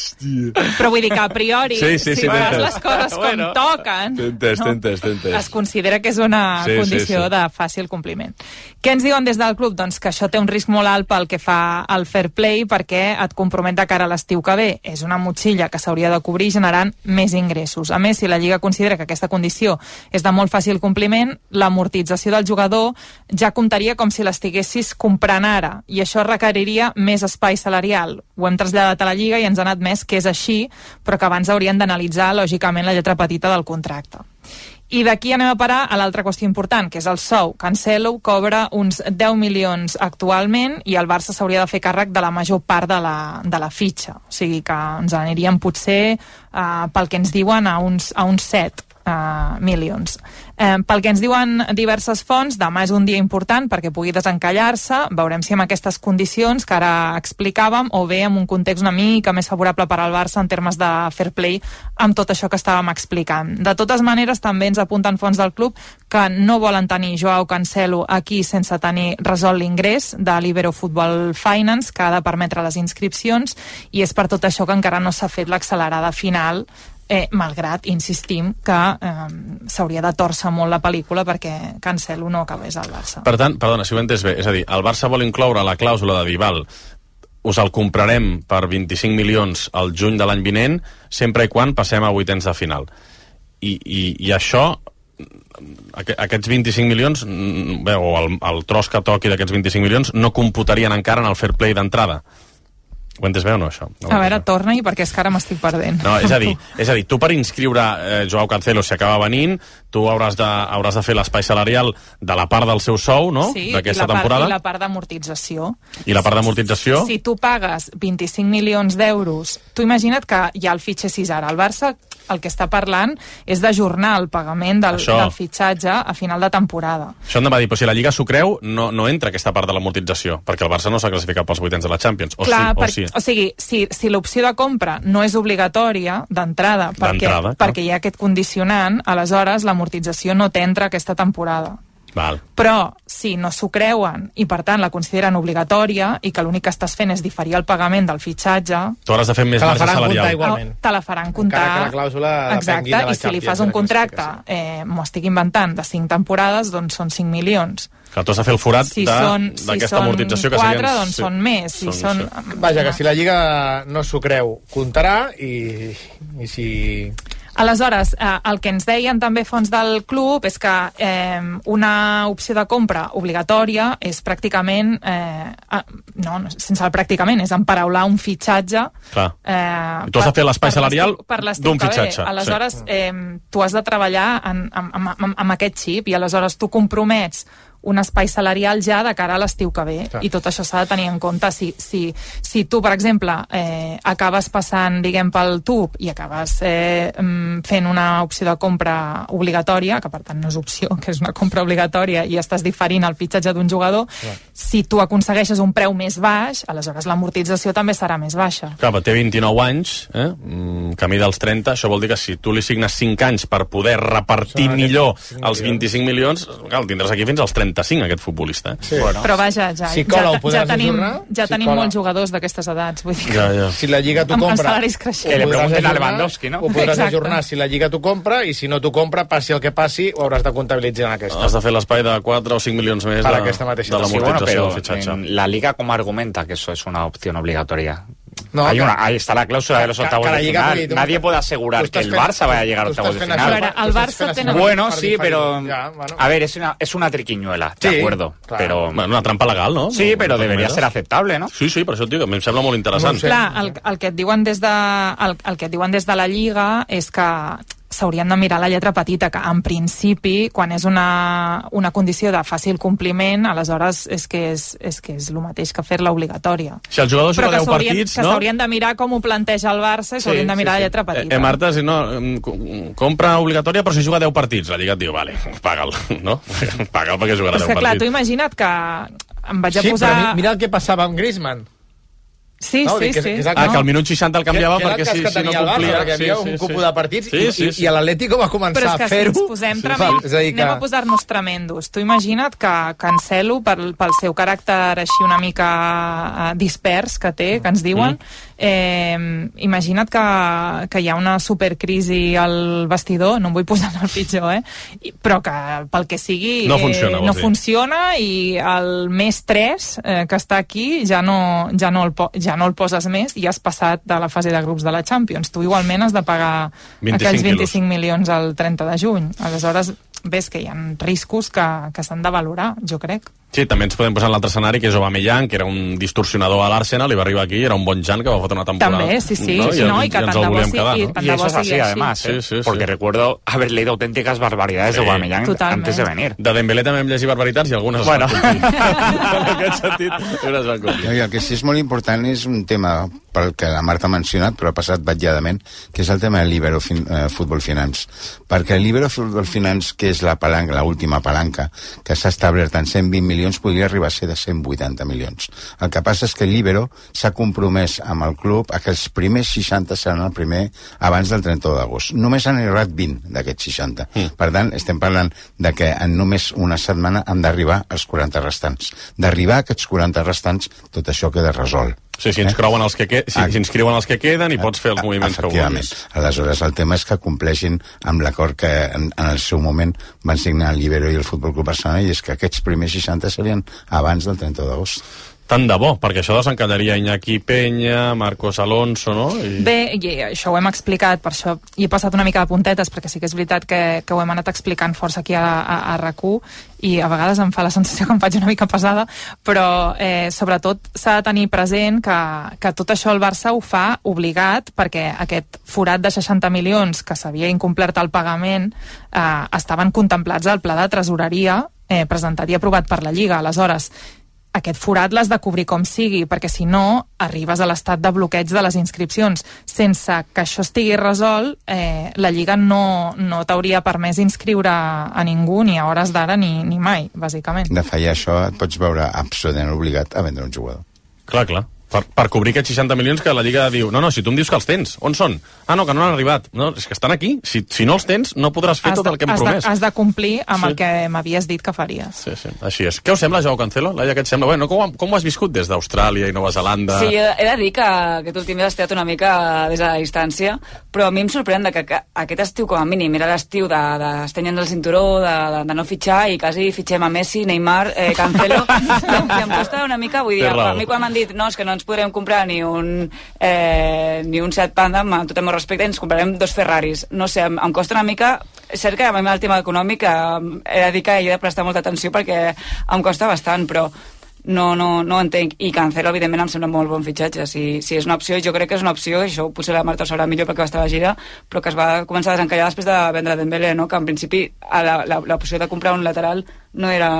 Però vull dir que a priori, sí, sí, si sí, fas les coses com bueno, toquen, t'entès, no, t'entès, t'entès. es considera que és una sí, condició sí, sí. de fàcil compliment. Què ens diuen des del club? Doncs que això té un risc molt alt pel que fa al fair play, perquè et compromet de cara a l'estiu que ve. És una motxilla que s'hauria de cobrir generant més ingressos. A més, si la Lliga considera que aquesta condició és de molt fàcil compliment, l'amortització del jugador ja comptaria com si l'estiguessis comprant ara, i això requeriria més espai salarial. Ho hem traslladat a la Lliga i ens han admès que és així, però que abans haurien d'analitzar, lògicament, la lletra petita del contracte. I d'aquí anem a parar a l'altra qüestió important, que és el sou. Cancelo cobra uns deu milions actualment i el Barça s'hauria de fer càrrec de la major part de la, de la fitxa. O sigui que ens aniríem potser, eh, pel que ens diuen, a uns, a uns set Uh, milions. Eh, pel que ens diuen diverses fonts, demà és un dia important perquè pugui desencallar-se. Veurem si amb aquestes condicions que ara explicàvem o bé amb un context una mica més favorable per al Barça en termes de fair play amb tot això que estàvem explicant. De totes maneres, també ens apunten fonts del club que no volen tenir Joao Cancelo aquí sense tenir resolt l'ingrés de l'Ibero Football Finance, que ha de permetre les inscripcions, i és per tot això que encara no s'ha fet l'accelerada final, Eh, malgrat, insistim, que eh, s'hauria de torçar molt la pel·lícula perquè Cancelo no acabés al Barça. Per tant, perdona, si ho he entès bé, és a dir, el Barça vol incloure la clàusula de Dybala, us el comprarem per vint-i-cinc milions al juny de l'any vinent, sempre i quan passem a vuitens de final. I, i, i això, aquests vint-i-cinc milions, bé, o el, el tros que toqui d'aquests vint-i-cinc milions, no computarien encara en el fair play d'entrada. Ho entes bé o no, això? No, a veure, torna-hi, perquè és que ara m'estic perdent. No, és a dir, és a dir, tu per inscriure eh, Joao Cancelo, si acaba venint, tu hauràs de, hauràs de fer l'espai salarial de la part del seu sou, no?, sí, d'aquesta i la temporada. Part, i la part d'amortització. I la part d'amortització? Si tu pagues vint-i-cinc milions d'euros, tu imagina't que ja el fitxessis ara. El Barça el que està parlant és d'ajornar el pagament del, del fitxatge a final de temporada. Això em va dir, però si la Lliga s'ho creu, no, no entra aquesta part de l'amortització, perquè el Barça no s'ha classificat pels vuitens de la Champions. O Clar, sí, per, o sí. O sigui, si, si l'opció de compra no és obligatòria d'entrada, perquè, perquè hi ha aquest condicionant, aleshores l'amortització no t'entra aquesta temporada. Val. Però si no s'ho creuen i per tant la consideren obligatòria i que l'únic que estàs fent és diferir el pagament del fitxatge, tu hauràs de fer més marge salarial. Igualment. Te la faran comptar. Encara que la clàusula Exacte, i si li fas un contracte, eh, m'ho estic inventant, de cinc temporades, doncs són cinc milions. Que tu has de fer el forat si d'aquesta si amortització que quatre, serien... doncs són més. Si són... són... Vaja, que si la Lliga no s'ho creu, comptarà, i, i si... Aleshores, eh, el que ens deien també fons del club és que eh, una opció de compra obligatòria és pràcticament, eh, no, sense el pràcticament, és emparaular un fitxatge. Clar. Eh, tu has de fer l'espai salarial d'un fitxatge. Aleshores, sí. eh, tu has de treballar en, en, en, en, amb aquest xip i aleshores tu compromets un espai salarial ja de cara a l'estiu que ve. Clar. I tot això s'ha de tenir en compte. Si, si, si tu, per exemple, eh, acabes passant, diguem, pel tub i acabes eh, fent una opció de compra obligatòria, que per tant no és opció, que és una compra obligatòria, i estàs diferint el fitxatge d'un jugador, clar, si tu aconsegueixes un preu més baix, aleshores l'amortització també serà més baixa. Clar, però té vint-i-nou anys, eh? camí dels trenta, això vol dir que si tu li signes cinc anys per poder repartir això, millor els vint-i-cinc milions, clar, el tindràs aquí fins als trenta-cinc, aquest futbolista. Eh? Sí. Bueno. Però vaja, ja, si ja, ja tenim, ja si tenim cola. molts jugadors d'aquestes edats. Vull dir que... ja, ja. Si la Lliga t'ho compra... Amb salaris creixents. Que li pregunten a Lewandowski, no? Ho podràs Exacte. ajornar si la Lliga t'ho compra, i si no t'ho compra, passi el que passi, ho hauràs de comptabilitzar en aquesta. Has de fer l'espai de quatre o cinc milions més per de, aquesta mateixa de l'amortització sí, bueno, del fitxatge. La Liga, ¿cómo argumenta que eso es una opción obligatoria? No, hay que, una, ahí está la cláusula de los que, octavos que de final. Dir, Nadie puede asegurar que el Barça vaya a llegar a octavos de final. Veure, el Barça tenen... Bueno, sí, pero... Ja, bueno. A ver, es una, es una triquiñuela, de sí, acuerdo. Clar. Pero... Bueno, una trampa legal, no? Sí, però deberia ser acceptable, no? Sí, sí, per això et dic, a mi em sembla molt interessant. No sé. Clar, el, el, que et diuen des de, el, el que et diuen des de la Lliga és que s'haurien de mirar la lletra petita, que en principi, quan és una, una condició de fàcil compliment, aleshores és que és, és, que és el mateix que fer-la obligatòria. Si el jugador juga deu partits, que no? s'haurien de mirar com ho planteja el Barça i s'haurien sí, de mirar sí, sí. la lletra petita. Eh, eh, Marta, si no, compra obligatòria, però si juga deu partits, la Lliga et diu, vale, paga'l, no? Paga'l perquè jugarà deu partits. Clar, tu partits. imagina't que em vaig a sí, posar... Sí, però mira el que passava amb Griezmann. Sí, no, sí, que, sí. Que, ah, que al minut seixanta el canviava que, perquè que si, que si no complia... Barça, perquè hi havia sí, un sí, cúpul sí. de partits sí, sí, i, sí. i l'Atlético va començar a fer-ho. Però és que si ens posem sí, tremend, és a dir que... anem a posar-nos tremendos. Tu imagina't que Cancelo, pel, pel seu caràcter així una mica uh, dispers que té, que ens diuen, mm. eh, imagina't que, que hi ha una supercrisi al vestidor, no em vull posar en el pitjor, eh? I, però que pel que sigui no funciona, eh, no funciona i el més tres eh, que està aquí ja no, ja, no el po ja no el poses més i has passat de la fase de grups de la Champions. Tu igualment has de pagar aquells vint-i-cinc milions al trenta de juny. Aleshores, ves que hi ha riscos que, que s'han de valorar, jo crec. Sí, també ens podem posar en l'altre escenari, que és Aubameyang, que era un distorsionador a l'Arsenal, i va arribar aquí, era un bon Jan que va fotre una temporada. També, sí, sí. ¿no? sí, I, no, i que tant de bo sigui, quedar, ¿no? ¿no? Y eso es así, además, ¿eh? sí, sí, sí. Porque recuerdo haber leído auténticas barbaridades sí. de Aubameyang Totalment. antes de venir. De Dembélé també hem llegit barbaritats i algunes bueno. es van complir. En aquest sentit, unes van complir. No, i el que sí és molt important és un tema pel que la Marta ha mencionat, però ha passat batlladament, que és el tema de l'Ibero fin, eh, Futbol Finance. Perquè l'Ibero Futbol Finance, que és la palanca, l'última palanca, que s'ha establert en cent vint milions, podria arribar a ser de cent vuitanta milions. El que passa és que l'Ibero s'ha compromès amb el club a que els primers seixanta seran el primer abans del trenta d'agost. Només han arribat vint d'aquests seixanta. Mm. Per tant, estem parlant de que en només una setmana han d'arribar als quaranta restants. D'arribar a aquests quaranta restants, tot això queda resolt. Sí, si inscriuen els que, que, si, si inscriuen els que queden i pots fer els moviments que vulguis. Aleshores, el tema és que compleixin amb l'acord que en, en el seu moment van signar l'Ibero i el Futbol Club Barcelona, i és que aquests primers seixanta serien abans del trenta d'agost. Tant de bo, perquè això desencallaria Iñaki Peña, Marcos Alonso, no? I... Bé, i això ho hem explicat, per això hi he passat una mica de puntetes, perquè sí que és veritat que, que ho hem anat explicant força aquí a, a, a RAC u, i a vegades em fa la sensació que em faig una mica pesada, però eh, sobretot s'ha de tenir present que, que tot això el Barça ho fa obligat, perquè aquest forat de seixanta milions que s'havia incomplert el pagament eh, estaven contemplats al pla de tresoreria eh, presentat i aprovat per la Lliga. Aleshores, aquest forat l'has de cobrir com sigui, perquè si no arribes a l'estat de bloqueig de les inscripcions. Sense que això estigui resolt, eh, la Lliga no, no t'hauria permès inscriure a ningú ni a hores d'ara ni, ni mai, bàsicament. De fallar això et pots veure absolutament obligat a vendre un jugador. Clar, clar. Per, per cobrir aquests seixanta milions que la Lliga diu, no, no, si tu em dius que els tens, on són? Ah, no, que no han arribat. No, és que estan aquí. Si, si no els tens, no podràs fer has tot el que hem has promès. De, has de complir amb sí. el que m'havies dit que faries. Sí, sí, així és. Què us sembla, Joao Cancelo? Laia, què et sembla? Bueno, com, com ho has viscut des d'Austràlia i Nova Zelanda? Sí, he de dir que aquest últim has estat una mica des de la distància, però a mi em sorprèn que, que aquest estiu, com a mínim, era l'estiu d'estenye'ns el cinturó, de, de, de no fitxar, i quasi fitxem a Messi, Neymar, eh, Cancelo. I em costa una mica, vull dir, a mi quan m'han dit no, és que no ens podrem comprar ni un, eh, ni un Seat Panda, amb tot el meu respecte, ens comprarem dos Ferraris. No sé, em, em costa una mica. És cert que a mi el tema econòmic eh, he de dir que hi he de prestar molta atenció perquè em costa bastant, però no, no, no entenc. I Cancelo, evidentment, em sembla molt bon fitxatge. Si, si és una opció, jo crec que és una opció, això potser la Marta ho sabrà millor perquè va estar a la gira, però que es va començar a desencallar després de vendre Dembélé, no? Que en principi l'opció de comprar un lateral no era...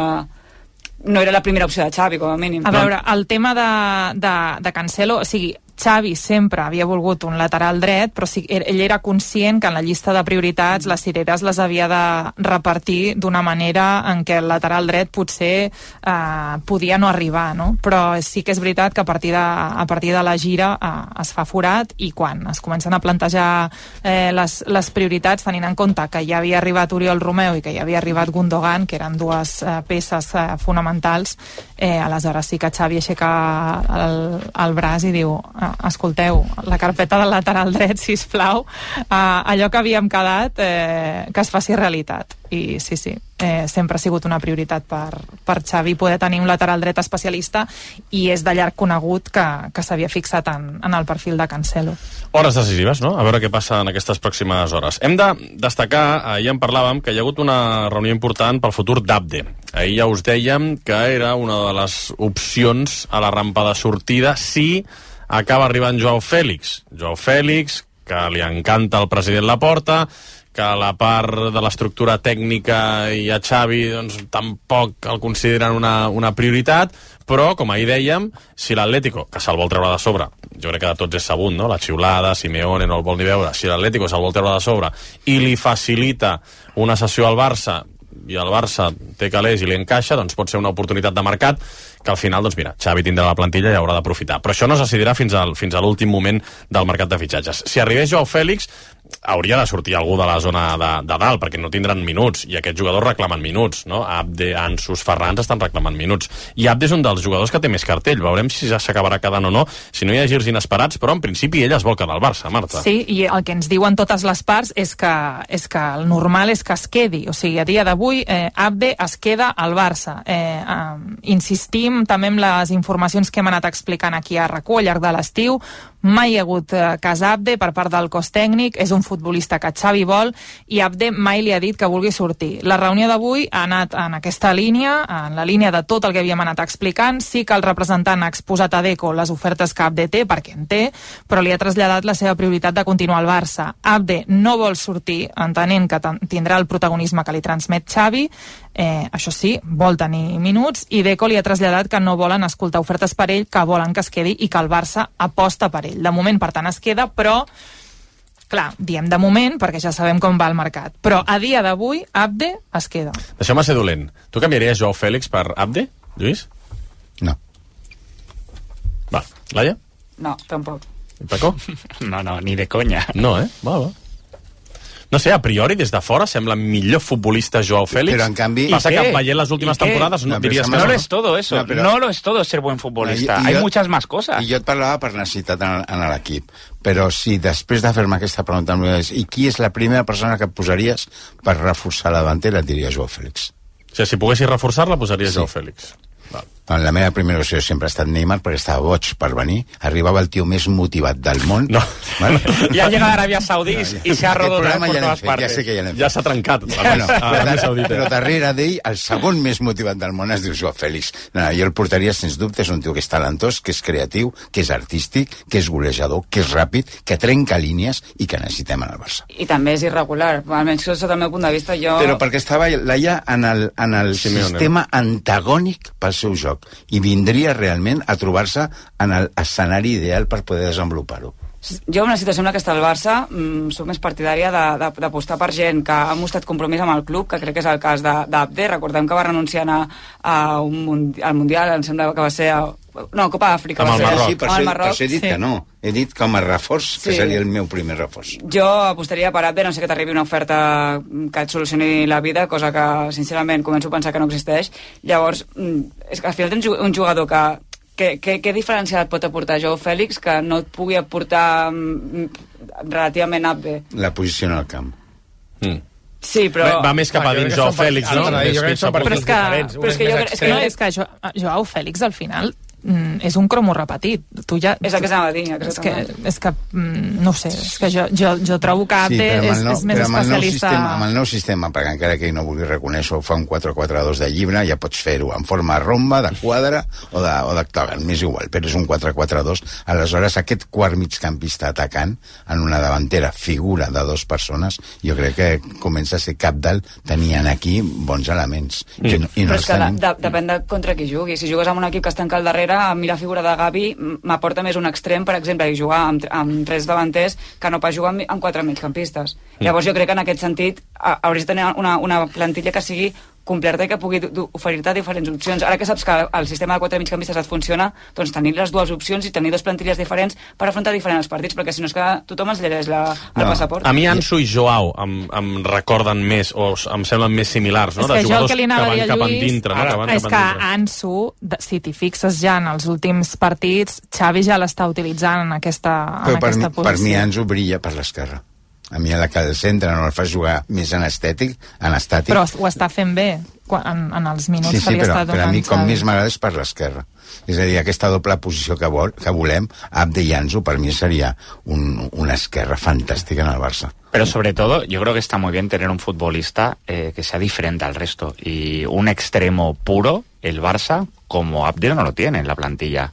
no era la primera opció de Xavi, com a mínim. A veure, el tema de, de, de Cancelo, o sigui, Xavi sempre havia volgut un lateral dret, però sí, ell era conscient que en la llista de prioritats les cireres les havia de repartir d'una manera en què el lateral dret potser eh, podia no arribar, no? Però sí que és veritat que a partir de, a partir de la gira eh, es fa forat, i quan es comencen a plantejar eh, les, les prioritats, tenint en compte que ja havia arribat Oriol Romeu i que ja havia arribat Gundogan, que eren dues eh, peces eh, fonamentals, eh, aleshores sí que Xavi aixeca el, el braç i diu escolteu, la carpeta del lateral dret, sisplau, uh, allò que havíem quedat eh, que es faci realitat. I sí, sí. eh, sempre ha sigut una prioritat per, per Xavi poder tenir un lateral dret especialista, i és de llarg conegut que, que s'havia fixat en, en el perfil de Cancelo. Hores decisives, no? A veure què passa en aquestes pròximes hores. Hem de destacar, ahir en parlàvem, que hi ha hagut una reunió important pel futur d'Abde. Ahir ja us dèiem que era una de les opcions a la rampa de sortida si acaba arribant Joao Fèlix. Joao Fèlix, que li encanta el president Laporta, que la part de l'estructura tècnica i a Xavi doncs, tampoc el consideren una, una prioritat, però, com ahir dèiem, si l'Atlético, que se'l vol treure de sobre, jo crec que de tots és sabut, no? La xiulada, Simeone no el vol ni veure, si l'Atlético se'l vol treure de sobre i li facilita una sessió al Barça, i el Barça té calés i li encaixa, doncs pot ser una oportunitat de mercat que al final, doncs mira, Xavi tindrà la plantilla i haurà d'aprofitar. Però això no es decidirà fins al, fins a l'últim moment del mercat de fitxatges. Si arribés Joao Fèlix, hauria de sortir algú de la zona de, de dalt, perquè no tindran minuts, i aquests jugadors reclamen minuts, no? Abde, Ansus, Ferrans estan reclamant minuts. I Abde és un dels jugadors que té més cartell. Veurem si ja s'acabarà quedant o no, si no hi ha girs inesperats, però en principi ell es vol quedar al Barça, Marta. Sí, i el que ens diuen totes les parts és que, és que el normal és que es quedi. O sigui, a dia d'avui, eh, Abde es queda al Barça. Eh, eh, insistim també amb les informacions que hem anat explicant aquí a RAC u al llarg de l'estiu. Mai hi ha hagut eh, cas Abde per part del cos tècnic, és un futbolista que Xavi vol, i Abde mai li ha dit que vulgui sortir. La reunió d'avui ha anat en aquesta línia, en la línia de tot el que havíem anat explicant. Sí que el representant ha exposat a Deco les ofertes que Abde té, perquè en té, però li ha traslladat la seva prioritat de continuar al Barça. Abde no vol sortir, entenent que tindrà el protagonisme que li transmet Xavi, eh, això sí, vol tenir minuts, i Deco li ha traslladat que no volen escoltar ofertes per ell, que volen que es quedi i que el Barça aposta per ell. De moment, per tant, es queda, però clar, diem de moment perquè ja sabem com va el mercat, però a dia d'avui Abde es queda. Deixeu-me ser dolent. Tu canviaries Joao Fèlix per Abde, Lluís? No. Va, Laia? No, tampoc. I Paco? No, no, ni de conya. No, eh? Va, va. No sé, a priori, des de fora, sembla millor futbolista Joao Fèlix. Però, en canvi... Passa que veient les últimes temporades no, no diries que no. no. No lo es todo eso. No, pero... no lo es todo ser buen futbolista. I, i Hay jo, muchas más cosas. I jo et parlava per necessitat en, en l'equip. Però si després de fer-me aquesta pregunta em dius, i qui és la primera persona que et posaries per reforçar la davantera, et diria Joao Fèlix. O sigui, si poguessis reforçar-la, posaries sí. Joao Fèlix. Val. La meva primera opció sempre ha estat Neymar, perquè estava boig per venir. Arribava el tio més motivat del món. No. Vale? Ja llega a Aràbia Saudí no, i s'ha rodat per ja totes partes. Ja sé que ja l'hem fet. Ja s'ha trencat. Bueno, però, però darrere d'ell, el segon més motivat del món es diu Joao Fèlix. No, jo el portaria, sens dubte, és un tio que és talentós, que és creatiu, que és artístic, que és golejador, que és ràpid, que trenca línies i que necessitem en el Barça. I també és irregular, almenys sota el meu punt de vista. Jo... Però perquè estava Laia en el, en el sistema antagònic pel seu joc, i vindria realment a trobar-se en l'escenari ideal per poder desenvolupar-ho. Jo, en una situació en la que està el Barça, mmm, soc més partidària d'apostar per gent que ha mostrat compromís amb el club, que crec que és el cas d'Abde. Recordem que va renunciar a, a un mundi, al Mundial, em sembla que va ser... A, no, Copa d'Àfrica. Amb el Marroc. Sí, per amb això, el Marroc. per això he dit sí. que no. He dit com a reforç, sí. que seria el meu primer reforç. Jo apostaria per Abde, no sé que t'arribi una oferta que et solucioni la vida, cosa que, sincerament, començo a pensar que no existeix. Llavors, és que al final tens un jugador que Què, què, què diferència et pot aportar Joao Fèlix que no et pugui aportar mm, relativament Abde? La posició en el camp. Mm. Sí, però... Va, va més cap a dins Joao Fèlix, no? Però és que, però és que, jo, és que, no, és que Joao Fèlix al final mm, és un cromo repetit. Tu ja, és el que s'anava a dir. És que, és que mm, no sé, és que jo, jo, jo trobo que Abde sí, és, no, és més però especialista... Sistema, amb el nou sistema, perquè encara que ell no vulgui reconèixer ho fa un quatre quatre dos de llibre, ja pots fer-ho en forma romba, de quadre o d'octògon, m'és igual, però és un quatre quatre dos. Aleshores, aquest quart migcampista atacant en una davantera figura de dues persones, jo crec que comença a ser cabdal, tenien aquí bons elements. Mm. I no, i no però és que de, de, depèn de contra qui jugui. Si jugues amb un equip que es tanca al darrere, a mi la figura de Gavi m'aporta més un extrem, per exemple, i jugar amb, amb tres davanters que no pas jugar amb, amb quatre migcampistes. Mm. Llavors jo crec que en aquest sentit hauries de tenir una, una plantilla que sigui completa i que pugui oferir-te diferents opcions. Ara que saps que el sistema de quatre migcampistes et funciona, doncs tenir les dues opcions i tenir dues plantilles diferents per afrontar diferents partits, perquè si no és que tothom es llegeix la, el no. passaport. A mi Ansu i Joao em, em recorden més, o em semblen més similars, no? És que de jugadors que, que van cap endintre. No? Ara, que van és que Ansu, si t'hi fixes ja en els últims partits, Xavi ja l'està utilitzant en aquesta, en Però per aquesta mi, posició. Per mi Ansu brilla per l'esquerra. A mi la que el centre no el fa jugar més en estètic, en estàtic. Però ho està fent bé en, en els minuts sí, sí, que li però, està donant. però a mi com Xavi. més m'agrada és per l'esquerra. És a dir, aquesta doble posició que, vol, que volem, Abde i Ansu, per mi seria un, una esquerra fantàstica en el Barça. Pero sobre todo, yo creo que está muy bien tener un futbolista eh, que sea diferente al resto. Y un extremo puro, el Barça, como Abde no lo tiene en la plantilla.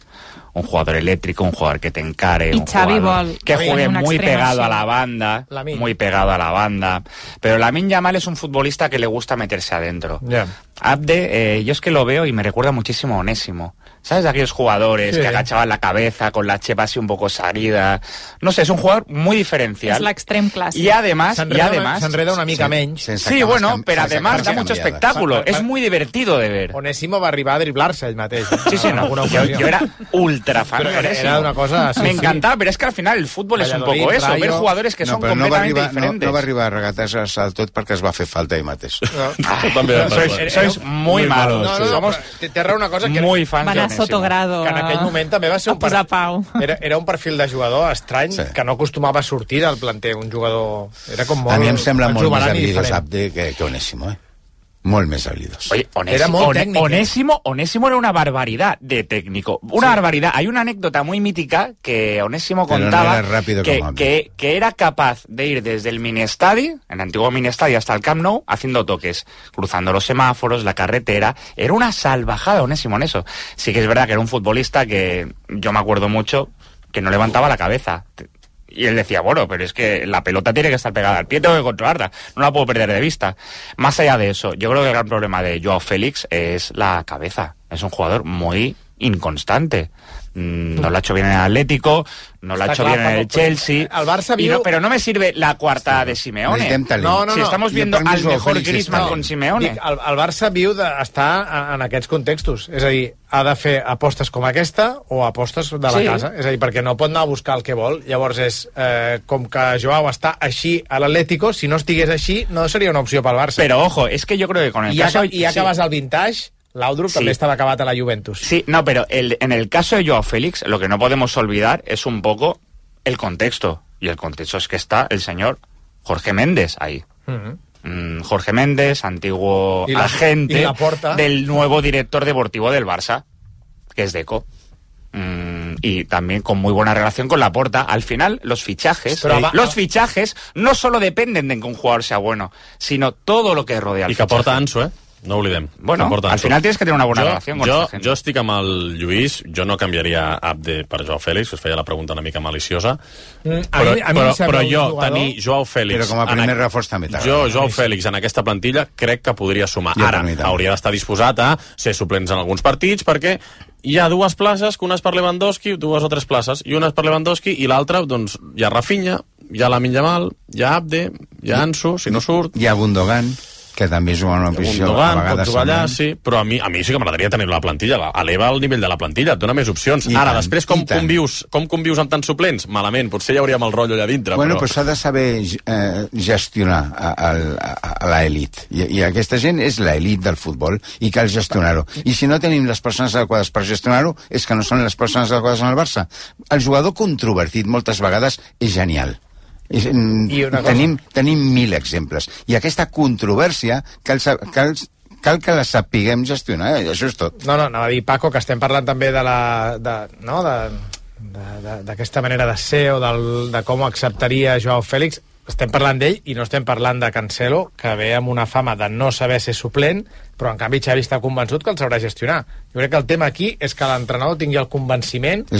Un jugador eléctrico, un jugador que te encare, y un Xavi jugador vol que juegue muy pegado sí. a la banda, Lamin. muy pegado a la banda. Pero Lamine Yamal es un futbolista que le gusta meterse adentro. Yeah. Abde, eh, yo es que lo veo y me recuerda muchísimo a Onésimo. ¿Sabes? Aquellos jugadores sí. que agachaban la cabeza con la chepa así un poco salida. No sé, es un jugador muy diferencial. Es l'extrem clàssic. Y además, y además s'enreda una mica sí, menys. Sí, bueno, pero además da mucho espectáculo. Es muy divertido de ver. Onésimo va arribar a driblar-se ell mateix. Sí, sí, no. Yo, yo era ultra fan de Onésimo. Era una cosa... Sí, me sí. encantaba, pero es que al final el fútbol es un poco eso, ver jugadores que no, son completamente no va arribar, diferentes. No, no va arribar a regatejar-se del tot perquè es va fer falta ell mateix. No. Ah, sois, sois muy malos. No, no, Somos té raó una cosa que... Muy fans va anar sotogrado que en aquell moment també va ser un, per... pau. Era, era un perfil de jugador estrany sí. que no acostumava a sortir del planter, un jugador... Era com molt... A mi em sembla molt més habilidós Abde que, que Onésimo, eh? Molt més habilidós. Oye, Onésimo, era molt on, técnico. Onésimo, Onésimo era una barbaridad de técnico. Una sí. barbaridad. Hay una anécdota muy mítica que Onésimo Pero contaba no era que, que, que era capaz de ir desde el Minestadi, el antiguo Minestadi, hasta el Camp Nou, haciendo toques, cruzando los semáforos, la carretera. Era una salvajada Onésimo en eso. Sí que es verdad que era un futbolista que yo me acuerdo mucho que no levantaba la cabeza. Y él decía, bueno, pero es que la pelota tiene que estar pegada al pie, tengo que controlarla, no la puedo perder de vista. Más allá de eso, yo creo que el gran problema de Joao Félix es la cabeza. Es un jugador muy inconstante. No lo ha hecho bien en el Atlético, no lo ha hecho bien en el Chelsea. El Barça viu... no, pero no me sirve la cuarta de Simeone. No, no, si estamos viendo al mejor Griezmann con Simeone. Dic, el, el Barça viu d'estar en aquests contextos. És a dir, ha de fer apostes com aquesta o apostes de la sí. casa. És a dir, perquè no pot anar a buscar el que vol. Llavors és, eh, com que Joao està així a l'Atlético, si no estigués així, no seria una opció pel Barça. Pero ojo, es que yo creo que con el I caso... I acabes sí. el vintage... Laudrup sí. també estaba acabat a la Juventus. Sí, no, pero el, en el caso de Joao Félix, lo que no podemos olvidar es un poco el contexto. Y el contexto es que está el señor Jorge Méndez ahí. Uh-huh. mm, Jorge Méndez, antiguo la, agente del nuevo director deportivo del Barça, que es Deco. Mm, y también con muy buena relación con Laporta. Al final, los fichajes, Pero, eh, los fichajes no solo dependen de que un jugador sea bueno, sino todo lo que rodea al I que fichaje. porta Ansu, eh? No ho oblidem. Bueno, al final tienes que tener una buena jo, relación con jo, esta gente. Jo estic amb el Lluís, jo no canviaria Abde per Joao Félix, us feia la pregunta una mica maliciosa, mm, però, a mi, a mi però, jo, però jo jugador... tenir Joao Félix... Però com a primer a... reforç també t'agrada. Jo, Joao Félix, en aquesta plantilla, crec que podria sumar. Jo Ara, hauria d'estar disposat a ser suplents en alguns partits, perquè hi ha dues places, que una és per Lewandowski, dues o tres places, i una és per Lewandowski, i l'altra, doncs, hi ha Rafinha, hi ha Lamine Yamal, hi ha Abde, hi ha Ansu, si no surt... Hi ha Gundogan, que també juga en una posició Gundogan, a vegades pot jugar allà, sí, però a mi, a mi sí que m'agradaria tenir la plantilla, eleva el nivell de la plantilla, et dona més opcions. I Ara, tant, després, com i tant. convius, com convius amb tants suplents? Malament, potser hi hauríem el rotllo allà dintre, Bueno, però... però s'ha de saber eh, gestionar a, a, a, a l'elit. I, I aquesta gent és l'elit del futbol i cal gestionar-ho. I si no tenim les persones adequades per gestionar-ho, és que no són les persones adequades en el Barça. El jugador controvertit moltes vegades és genial. I, I tenim, tenim mil exemples. I aquesta controvèrsia cal, cal, cal que la sapiguem gestionar, eh? Això és tot. No, no, anava a dir, Paco, que estem parlant també de la... De, no, de, d'aquesta manera de ser o del, de com acceptaria Joao Félix. Estem parlant d'ell i no estem parlant de Cancelo, que ve amb una fama de no saber ser suplent, però en canvi Xavi està convençut que el sabrà gestionar. Jo crec que el tema aquí és que l'entrenador tingui el convenciment que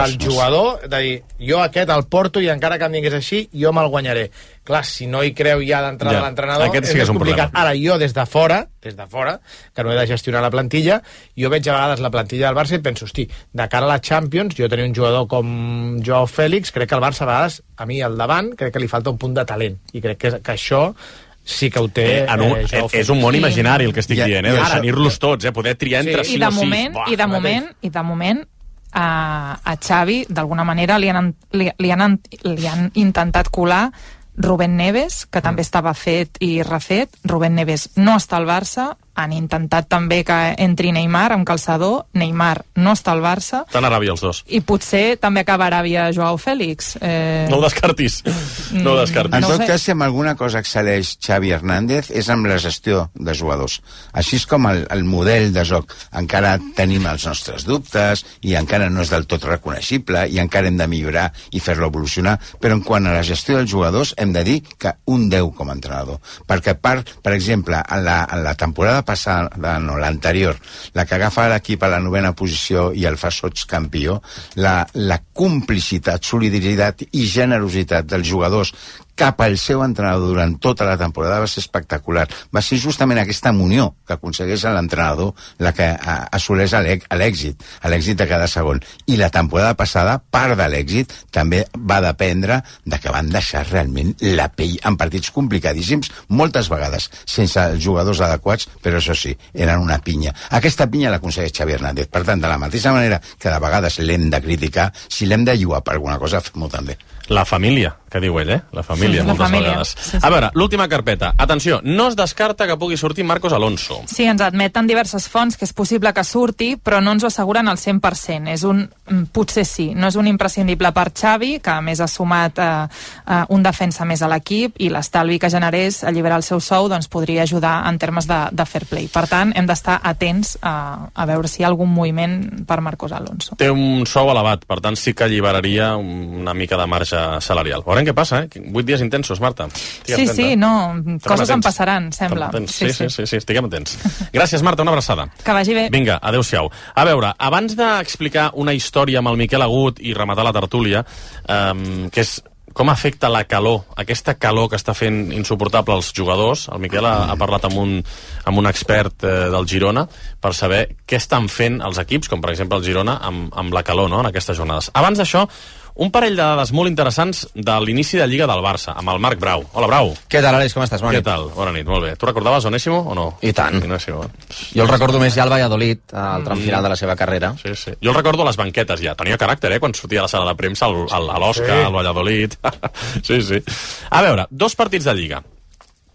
el jugador, de dir, jo aquest el porto i encara que em digués així, jo me'l guanyaré. Clar, si no hi creu ja d'entrada ja, l'entrenador, és sí més complicat. Problema. Ara, jo des de fora, des de fora, que no he de gestionar la plantilla, jo veig a vegades la plantilla del Barça i penso, hosti, de cara a la Champions, jo tenir un jugador com Joao Félix, crec que el Barça a vegades, a mi al davant, crec que li falta un punt de talent. I crec que, que això sí que ho té eh, en un, eh, és un món imaginari el que estic I, dient, eh? de tenir-los tots, eh? Poder triar entre sí, sí i de o moment, sis. I de moment, i de moment a, a Xavi, d'alguna manera, li han, li, li, han, li han intentat colar Rubén Neves, que mm. també estava fet i refet. Rubén Neves no està al Barça, han intentat també que entri Neymar amb calçador. Neymar no està al Barça. Estan a Aràbia els dos. I potser també acaba a Aràbia Joao Fèlix. Eh... No ho descartis. No ho descartis. En No ho tot sé. cas, si amb alguna cosa excel·leix Xavi Hernández és amb la gestió de jugadors. Així és com el, el model de joc. Encara tenim els nostres dubtes i encara no és del tot reconeixible i encara hem de millorar i fer-lo evolucionar, però en quant a la gestió dels jugadors hem de dir que un deu com a entrenador. Perquè, per, per exemple, en la, en la temporada passada, no, l'anterior, la que agafa l'equip a la novena posició i el fa sots campió, la, la complicitat, solidaritat i generositat dels jugadors cap al seu entrenador durant tota la temporada va ser espectacular. Va ser justament aquesta munió que aconsegueix l'entrenador la que assoleix l'èxit, l'èxit de cada segon. I la temporada passada, part de l'èxit, també va dependre de que van deixar realment la pell en partits complicadíssims, moltes vegades sense els jugadors adequats, però això sí, eren una pinya. Aquesta pinya l'aconsegueix Xavi Hernández. Per tant, de la mateixa manera que de vegades l'hem de criticar, si l'hem de lluar per alguna cosa, fem-ho també. La família, que diu ell, eh? La família, Sí, la moltes família. vegades. Sí, sí. A veure, l'última carpeta. Atenció, no es descarta que pugui sortir Marcos Alonso. Sí, ens admeten diverses fonts que és possible que surti, però no ens ho asseguren al cent per cent. És un, potser sí, no és un imprescindible per Xavi, que a més ha sumat eh, eh, un defensa més a l'equip, i l'estalvi que generés alliberar el seu sou doncs, podria ajudar en termes de, de fair play. Per tant, hem d'estar atents a, a veure si hi ha algun moviment per Marcos Alonso. Té un sou elevat, per tant sí que alliberaria una mica de marge salarial. Veurem què passa, eh? Vuit dies intensos, Marta. Sí, sí, no, coses en passaran, sembla. Sí, sí, sí, sí, estiguem atents. Gràcies, Marta, una abraçada. Que vagi bé. Vinga, adeu-siau. A veure, abans d'explicar una història amb el Miquel Agut i rematar la tertúlia, eh, que és com afecta la calor, aquesta calor que està fent insuportable els jugadors. El Miquel ha, ha parlat amb un, amb un expert eh, del Girona per saber què estan fent els equips, com per exemple el Girona, amb, amb la calor, no?, en aquestes jornades. Abans d'això, un parell de dades molt interessants de l'inici de Lliga del Barça, amb el Marc Brau. Hola, Brau. Què tal, Aleix, com estàs? Bona Què nit. tal? Bona nit, molt bé. Tu recordaves Onésimo o no? I tant. Onésimo. Jo el recordo més ja al Valladolid, al tram final de la seva carrera. Sí, sí. Jo el recordo a les banquetes ja. Tenia caràcter, eh?, quan sortia a la sala de premsa, al, al, a l'Osca, Sí. al Valladolid. Sí, sí. A veure, dos partits de Lliga.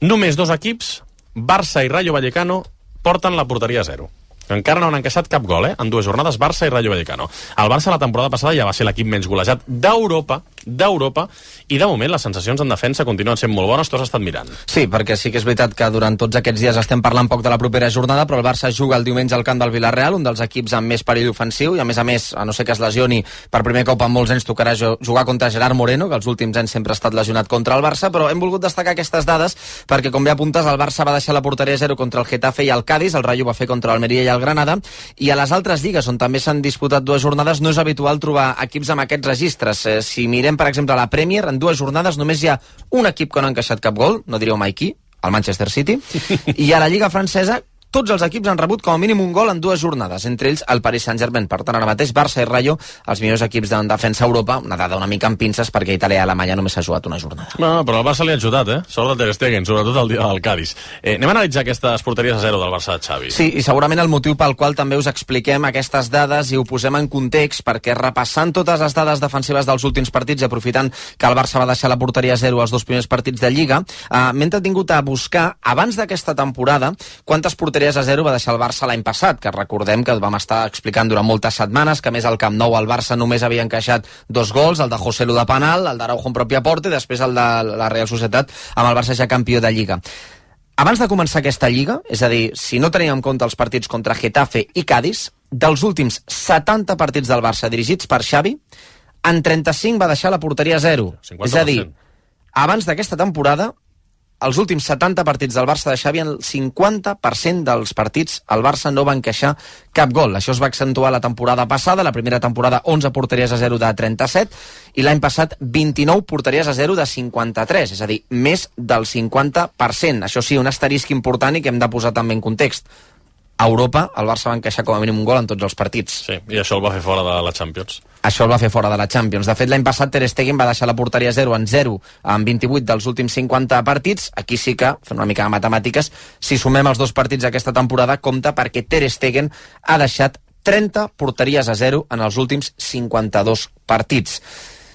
Només dos equips, Barça i Rayo Vallecano, porten la porteria a zero. Encara no han encaixat cap gol, eh? En dues jornades, Barça i Rayo Vallecano. El Barça la temporada passada ja va ser l'equip menys golejat d'Europa, d'Europa, i de moment les sensacions en defensa continuen sent molt bones, tu has estat mirant. Sí, perquè sí que és veritat que durant tots aquests dies estem parlant poc de la propera jornada, però el Barça juga el diumenge al camp del Villarreal, un dels equips amb més perill ofensiu, i a més a més, a no ser que es lesioni, per primer cop en molts anys tocarà jugar contra Gerard Moreno, que els últims anys sempre ha estat lesionat contra el Barça, però hem volgut destacar aquestes dades perquè, com bé apuntes, el Barça va deixar la porteria a zero contra el Getafe i el Cádiz, el Rayo va fer contra l'Almeria i el Granada, i a les altres lligues, on també s'han disputat dues jornades, no és habitual trobar equips amb aquests registres. Eh, si mirem, per exemple, la Premier, en dues jornades només hi ha un equip que no ha encaixat cap gol, no diríeu mai qui, el Manchester City, i a la Lliga francesa tots els equips han rebut com a mínim un gol en dues jornades, entre ells el Paris Saint-Germain. Per tant, ara mateix Barça i Rayo, els millors equips de defensa a Europa, una dada una mica amb pinces perquè Itàlia i Alemanya només s'ha jugat una jornada. No, no, però el Barça li ha ajudat, eh? Sort de Ter Stegen, sobretot el dia del Cádiz. Eh, anem a analitzar aquestes porteries a zero del Barça de Xavi. Sí, i segurament el motiu pel qual també us expliquem aquestes dades i ho posem en context, perquè repassant totes les dades defensives dels últims partits i aprofitant que el Barça va deixar la porteria a zero als dos primers partits de Lliga, eh, m'he entretingut a buscar, abans d'aquesta temporada, quantes porteries a zero va deixar el Barça l'any passat, que recordem que vam estar explicant durant moltes setmanes que, a més, al Camp Nou el Barça només havia encaixat dos gols, el de José Lu de penal, el d'Araujo en pròpia porta i després el de la Real Societat amb el Barça ja campió de Lliga. Abans de començar aquesta Lliga, és a dir, si no tenim en compte els partits contra Getafe i Cádiz, dels últims setanta partits del Barça dirigits per Xavi, en trenta-cinc va deixar la porteria a zero. És a dir, abans d'aquesta temporada, els últims setanta partits del Barça de Xavi, el cinquanta per cent dels partits el Barça no va encaixar cap gol. Això es va accentuar la temporada passada, la primera temporada onze porteries a zero de trenta-set i l'any passat vint-i-nou porteries a zero de cinquanta-tres, és a dir, més del cinquanta per cent. Això sí, un asterisc important i que hem de posar també en context. A Europa, el Barça va encaixar com a mínim un gol en tots els partits. Sí, i això el va fer fora de la Champions. Això el va fer fora de la Champions. De fet, l'any passat Ter Stegen va deixar la porteria a zero en zero en vint-i-vuit dels últims cinquanta partits. Aquí sí que, fent una mica de matemàtiques, si sumem els dos partits d'aquesta temporada, compta perquè Ter Stegen ha deixat trenta porteries a zero en els últims cinquanta-dos partits.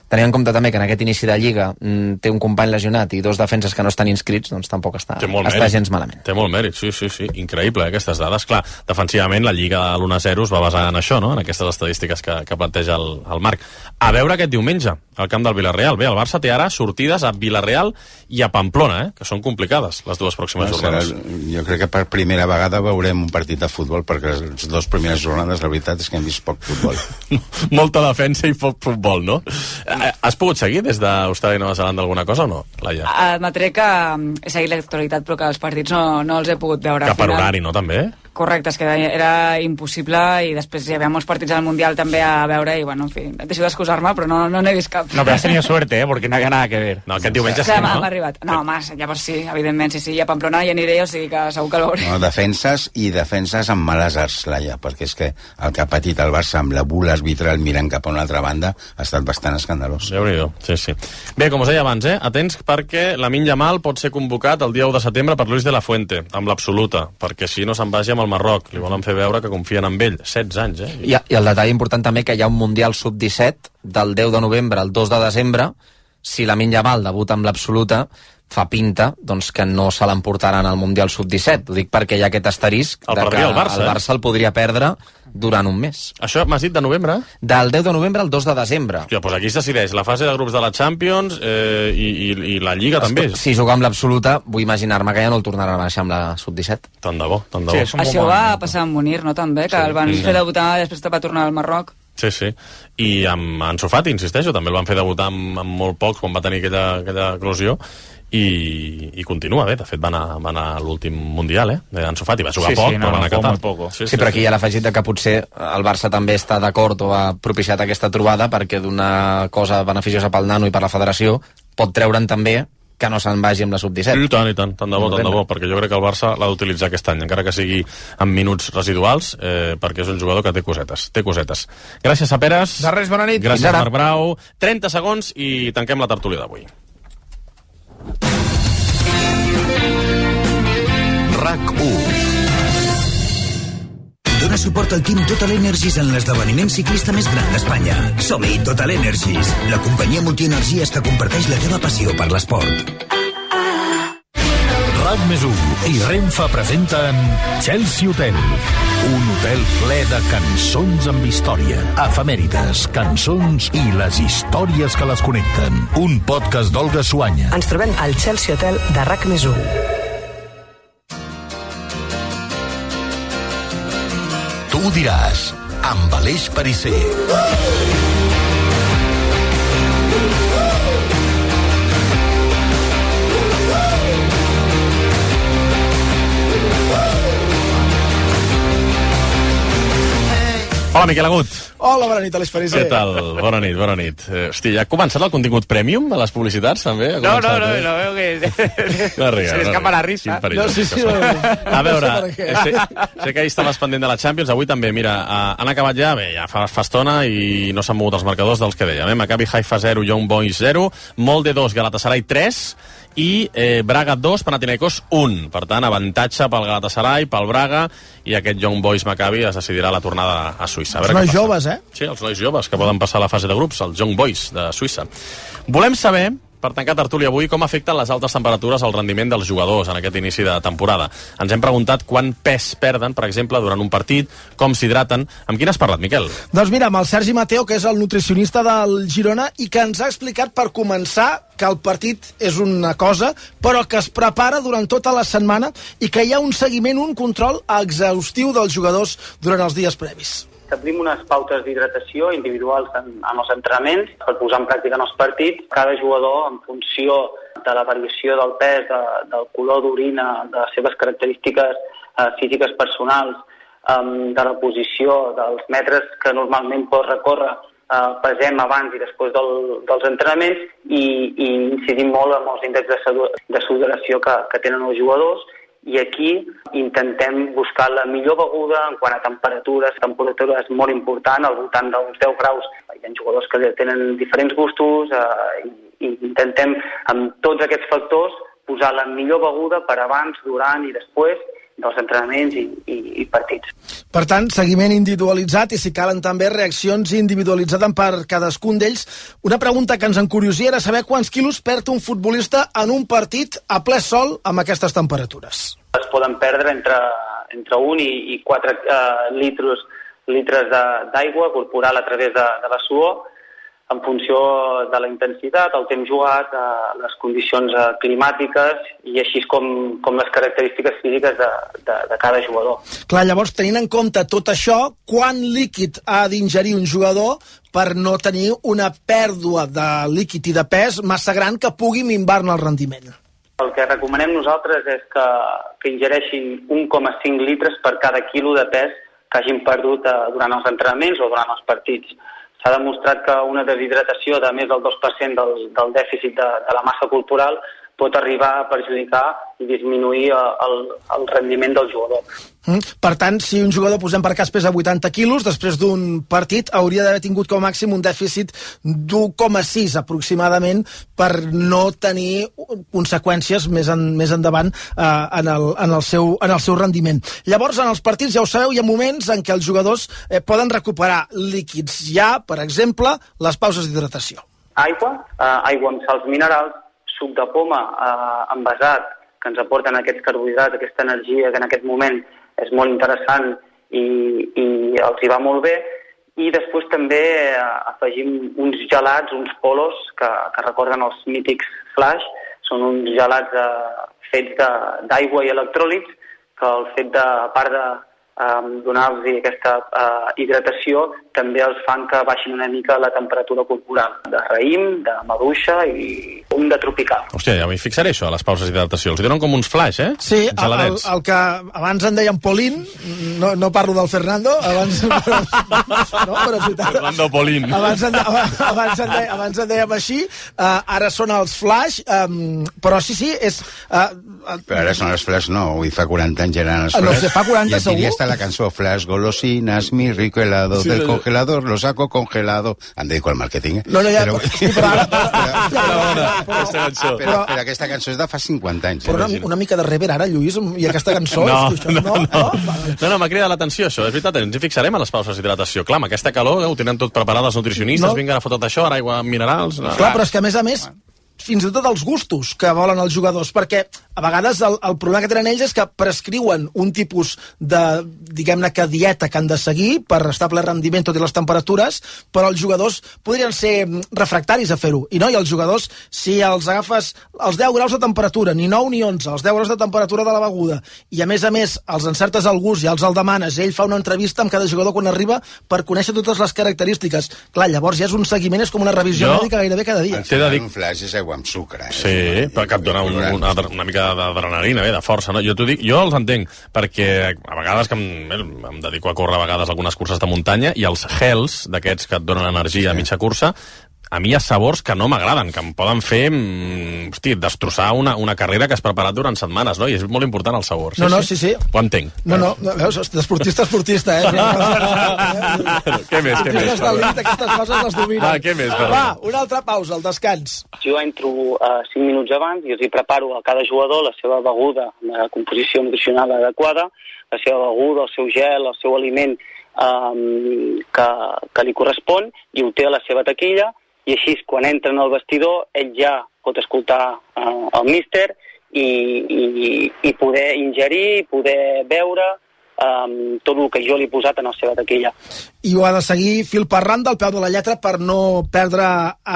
tenint en compte també que en aquest inici de Lliga mm, té un company lesionat i dos defenses que no estan inscrits, doncs tampoc està, està gens malament. Té molt mèrit, sí, sí, sí. Increïble, eh, aquestes dades. Clar, defensivament la Lliga de l'u a zero es va basar en això, no?, en aquestes estadístiques que, que planteja el, el Marc. A veure aquest diumenge, al camp del Villarreal. Bé, el Barça té ara sortides a Villarreal i a Pamplona, eh, que són complicades les dues pròximes no, jornades. Serà, jo crec que per primera vegada veurem un partit de futbol, perquè les dues primeres jornades, la veritat és que hem vist poc futbol. Molta defensa i poc futbol, no? Has pogut seguir des d'Austràlia i Nova Zelanda alguna cosa o no, Laia? Admetré que he seguit l'actualitat, però que els partits no, no els he pogut veure. Que per horari, no, també? Correcte, és que era impossible i després hi havia molts partits al Mundial també a veure i, bueno, en fi, deixo d'excusar-me, però no no n'he vist cap. No, però has tenido suerte, eh, porque no había nada que ver. No, aquest diumenge sí, sí, no? M'ha arribat. No, home, llavors sí, evidentment, sí, sí, a Pamplona hi aniré, o sigui que segur que l'ho veuré. No, defenses i defenses amb males arts, Laia, perquè és que el que ha patit el Barça amb la bula arbitral mirant cap a una altra banda ha estat bastant escandalós. Déu-n'hi-do, sí, sí. Bé, com us deia abans, eh, atents perquè Lamine Yamal pot ser convocat el dia u de setembre per Luis de la Fuente, amb l'absoluta, perquè si no se'n vagi amb el Marroc, li volen fer veure que confien en ell. setze anys, eh? I, I el detall important també que hi ha un Mundial sub disset del deu de novembre al dos de desembre. Si Lamine Yamal debuta amb l'absoluta, fa pinta doncs, que no se l'emportaran al Mundial sub disset. Ho dic perquè hi ha aquest asterisc el de que el Barça, el Barça el podria perdre durant un mes. Això m'has dit de novembre? Del deu de novembre al dos de desembre. Hòstia, doncs aquí es decideix la fase de grups de la Champions eh, i, i, i la Lliga Escolta, també. Si jugar amb l'absoluta, vull imaginar-me que ja no el tornaran a baixar amb la sub disset. Tant de bo, tant de bo. Sí, això va passar amb Munir, no, també, que sí, el van sí. fer debutar i després va tornar al Marroc. Sí, sí. I amb Ansu Fati, insisteixo, també el van fer debutar amb, amb molt pocs quan va tenir aquella, aquella eclosió. I, i continua bé, de fet va anar, va anar a l'últim Mundial, eh? Ansu Fati va jugar sí, poc, sí, no, però va anar a Qatar. Sí, sí, però aquí hi ha l'afegit de que potser el Barça també està d'acord o ha propiciat aquesta trobada perquè d'una cosa beneficiosa pel nano i per la federació pot treure'n també que no se'n vagi amb la sub disset. I tant, i tant, tant de bo, tant de bo, perquè jo crec que el Barça l'ha d'utilitzar aquest any, encara que sigui en minuts residuals, eh, perquè és un jugador que té cosetes, té cosetes. Gràcies a Peres. De res, bona nit. Gràcies a Marc Brau. trenta segons i tanquem la tertúlia d'avui. RAC u. Dóna suport al Team Total Energies en l'esdeveniment ciclista més gran d'Espanya. Som-hi, Total Energies, la companyia multienergies que comparteix la teva passió per l'esport. RAC més u i Renfe presenten Chelsea Hotel, un hotel ple de cançons amb història, efemèrides, cançons i les històries que les connecten. Un podcast d'Olga Suanya. Ens trobem al Chelsea Hotel de RAC més u. Tu ho diràs, amb Aleix Parisser. Hola, Miquel Agut. Hola, bona nit, Aleix Parisser. Què tal? Bona nit, bona nit. Eh, hosti, ja ha començat el contingut premium a les publicitats, també? No, no, no, eh? no veo que... No riga, se li escapa la risa. No, sí, sí, no. A veure, no sé, sé, sé que ahir estaves pendent de la Champions, avui també, mira, han acabat ja, bé, ja fa, fa estona i no s'han mogut els marcadors dels que dèiem. Eh? Maccabi Haifa zero, Young Boys zero, Molde dos, Galatasaray tres i eh, Braga dos, Panathinaikos un. Per tant, avantatge pel Galatasaray, pel Braga i aquest Young Boys Maccabi es decidirà la tornada a Suïssa. A els nois joves, eh? Sí, els nois joves que poden passar a la fase de grups, els Young Boys de Suïssa. Volem saber, per tancar tertúlia avui, com afecten les altes temperatures al rendiment dels jugadors en aquest inici de temporada. Ens hem preguntat quant pes perden, per exemple, durant un partit, com s'hidraten. Amb qui n'has parlat, Miquel? Doncs mira, amb el Sergi Mateo, que és el nutricionista del Girona, i que ens ha explicat, per començar, que el partit és una cosa, però que es prepara durant tota la setmana i que hi ha un seguiment, un control exhaustiu dels jugadors durant els dies previs. Establim unes pautes d'hidratació individuals en, en els entrenaments per posar en pràctica en els partits. Cada jugador, en funció de la variació del pes, de, del color d'orina, de les seves característiques eh, físiques personals, eh, de la posició, dels metres que normalment pot recórrer, eh, pesem abans i després del, dels entrenaments i, i incidim molt en els índexs de, de sudoració que, que tenen els jugadors. I aquí intentem buscar la millor beguda en quant a temperatures. Temperatura és molt important, al voltant d'uns deu graus. Hi ha jugadors que tenen diferents gustos eh, i, i intentem, amb tots aquests factors, posar la millor beguda per abans, durant i després dels entrenaments i, i, i partits. Per tant, seguiment individualitzat i si calen també reaccions individualitzades per cadascun d'ells. Una pregunta que ens encuriosia era saber quants quilos perd un futbolista en un partit a ple sol amb aquestes temperatures. Es poden perdre entre, entre un i, i quatre uh, litres, litres d'aigua corporal a través de, de la suor, en funció de la intensitat, el temps jugat, eh, les condicions eh, climàtiques i així com, com les característiques físiques de, de, de cada jugador. Clar, llavors, tenint en compte tot això, quant líquid ha d'ingerir un jugador per no tenir una pèrdua de líquid i de pes massa gran que pugui minvar-ne el rendiment? El que recomanem nosaltres és que, que ingereixin un coma cinc litres per cada quilo de pes que hagin perdut eh, durant els entrenaments o durant els partits. S'ha demostrat que una deshidratació de més del dos per cent del, del dèficit de, de la massa corporal pot arribar a perjudicar i disminuir el, el rendiment del jugador. Mm. Per tant, si un jugador, posem per cas, pesa vuitanta quilos, després d'un partit hauria d'haver tingut com a màxim un dèficit d'un coma sis aproximadament per no tenir conseqüències més, en, més endavant eh, en, el, en, el seu, en el seu rendiment. Llavors, en els partits, ja ho sabeu, hi ha moments en què els jugadors eh, poden recuperar líquids. Hi ha, per exemple, les pauses d'hidratació. Aigua, eh, aigua amb sals minerals, suc de poma eh, envasat, que ens aporten aquests carbohidrats, aquesta energia que en aquest moment és molt interessant i, i els hi va molt bé. I després també eh, afegim uns gelats, uns polos, que, que recorden els mítics Flash. Són uns gelats eh, fets d'aigua i electròlits, que el fet de, a part de Um, donar-los aquesta uh, hidratació també els fan que baixin una mica la temperatura corporal de raïm, de maduixa i un de tropical. Hòstia, ja m'hi fixaré això, a les pauses d'hidratació. Els donen com uns flash, eh? Sí, el, el, el que abans en deien Polín, no, no parlo del Fernando, abans... Però, no, però és veritat. Fernando Polín. Abans en, abans en, de, abans en dèiem així, uh, ara són els flash, um, però sí, sí, és... Uh, uh, però ara són els flash, no, avui fa quaranta anys eren els flash. No sé, fa quaranta segur? I la cançó Flash golosinas, mi rico helado sí, del sí. congelador, lo saco congelado. Em dedico al màrqueting, eh? No, no, ja, però, sí, però ara... Però, però, però, però, però aquesta cançó és de fa cinquanta anys. Però una, una mica de rever ara, Lluís, i aquesta cançó... No, és que això, no, no, no, no, no m'ha cridat l'atenció, això. És veritat, ens hi fixarem a les pauses d'hidratació. Clar, amb aquesta calor, eh, ho tenen tot preparat els nutricionistes, no. Vinguen a fotre tot això, ara aigua minerals... No. Clar, però és que a més a més... fins i tot els gustos que volen els jugadors, perquè a vegades el, el problema que tenen ells és que prescriuen un tipus de, diguem-ne que dieta que han de seguir per estar ple rendiment tot i les temperatures, però els jugadors podrien ser refractaris a fer-ho, i no, i els jugadors, si els agafes els deu graus de temperatura, ni nou ni onze, els deu graus de temperatura de la beguda, i a més a més els encertes al gust, ja els el demanes, ell fa una entrevista amb cada jugador quan arriba per conèixer totes les característiques, clar, llavors ja és un seguiment, és com una revisió jo, mèdica gairebé cada dia. T'he de dir... Un flash és aigua amb sucre, eh? Sí, però que et dona un, una, una mica d'adrenalina, bé, de força, no? Jo t'ho dic, jo els entenc, perquè a vegades que em, em dedico a córrer a vegades algunes curses de muntanya, i els gels, d'aquests que et donen energia a mitja cursa, a mi hi ha sabors que no m'agraden, que em poden fer, hosti, destrossar una, una carrera que has preparat durant setmanes, no? I és molt important el sabor. Sí, no, no, sí, sí. Ho entenc. No, no, veus, d'esportista, esportista, eh? Què més, què més? Aquestes coses les dominen. Va, què més? Va, una altra pausa, el descans. Jo entro uh, cinc minuts abans i els hi preparo a cada jugador la seva beguda, la composició nutricional adequada, la seva beguda, el seu gel, el seu aliment um, que, que li correspon, i ho té a la seva taquilla, i així, quan entren al vestidor, ell ja pot escoltar uh, el míster i, i, i poder ingerir, poder veure um, tot el que jo li he posat en la seva taquilla. I ho ha de seguir fil per randa al peu de la lletra per no perdre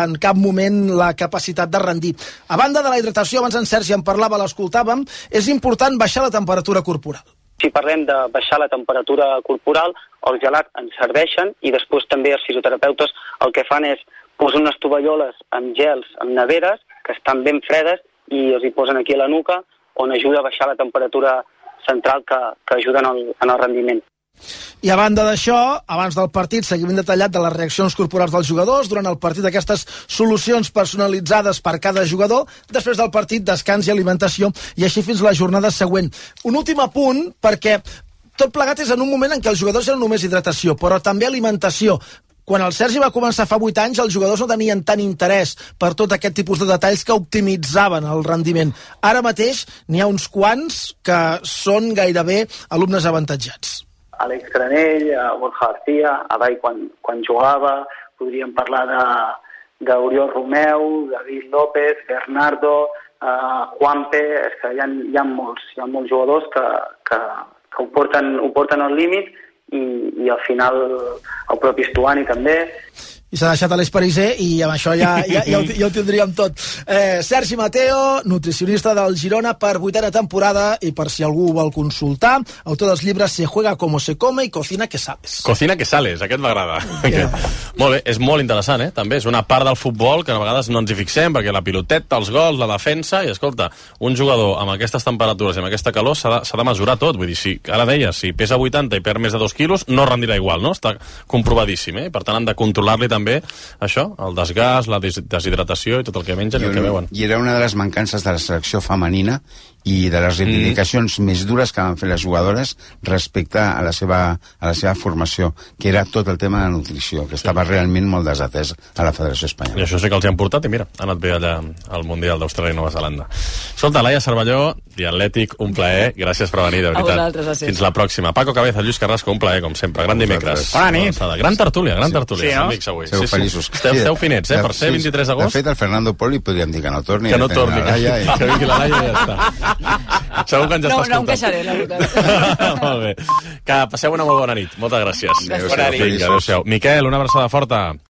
en cap moment la capacitat de rendir. A banda de la hidratació, abans en Sergi en parlava, l'escoltàvem, és important baixar la temperatura corporal. Si parlem de baixar la temperatura corporal, els gelats ens serveixen, i després també els fisioterapeutes el que fan és posen unes tovalloles amb gels, amb neveres, que estan ben fredes, i els hi posen aquí a la nuca, on ajuda a baixar la temperatura central que, que ajuda en el, en el rendiment. I a banda d'això, abans del partit, seguiment detallat de les reaccions corporals dels jugadors, durant el partit aquestes solucions personalitzades per cada jugador, després del partit descans i alimentació, i així fins la jornada següent. Un últim apunt, perquè tot plegat és en un moment en què els jugadors eren només hidratació, però també alimentació. Quan el Sergi va començar fa vuit anys, els jugadors no tenien tant interès per tot aquest tipus de detalls que optimitzaven el rendiment. Ara mateix n'hi ha uns quants que són gairebé alumnes avantatjats. Àlex Granell, Borja García, Adai quan, quan jugava, podríem parlar de, d'Oriol Romeu, David López, Bernardo, uh, Juanpe, és que hi ha, hi ha molts, hi ha molts jugadors que, que, que ho porten, ho porten al límit i, i al final el propi Stuani també. I s'ha deixat a l'Esperisé i amb això ja, ja, ja, ho, ja ho tindríem tot. Eh, Sergi Mateo, nutricionista del Girona per vuitena temporada, i per si algú vol consultar, autor dels llibres Se juega como se come i Cocina que sales. Cocina que sales, aquest m'agrada. Yeah. Molt bé, és molt interessant, eh? També és una part del futbol que a vegades no ens hi fixem, perquè la piloteta, els gols, la defensa, i escolta, un jugador amb aquestes temperatures i amb aquesta calor s'ha de, s'ha de mesurar tot. Vull dir, si, ara deia, si pesa vuitanta i perd més de dos quilos, no rendirà igual, no? Està comprovadíssim, eh? Per tant, han de controlar-li també també això, el desgast, la deshidratació i tot el que mengen i, i el que beuen. I era una de les mancances de la selecció femenina i de les reivindicacions mm. més dures que van fer les jugadores respecte a la seva, a la seva formació, que era tot el tema de nutrició, que estava sí. realment molt desatès a la Federació Espanyola. I això sí que els hi han portat i mira, ha anat bé allà al Mundial d'Austràlia i Nova Zelanda. Escolta, Laia Cervelló, Diatlètic, un plaer, gràcies per venir, de veritat. Fins la pròxima. Paco Cabeza, Lluís Carrasco, un plaer, com sempre. Gran dimecres. Bona nit. Gran tertúlia, gran tertúlia, sí, no? amics avui. Esteu sí, feliços. Sí. Esteu, esteu finets, eh, per ser vint-i-tres d'agost. De fet, el Fernando Poli podríem dir que no torni. Que no torni, que, i... que vingui la Laia i ja està. Segur que ens no, està escoltant. No em queixaré, la veritat. Molt bé. Que passeu una molt bona nit. Moltes gràcies. Gràcies. Bona nit. Vinga, adéu-siau. Miquel, una abraçada forta.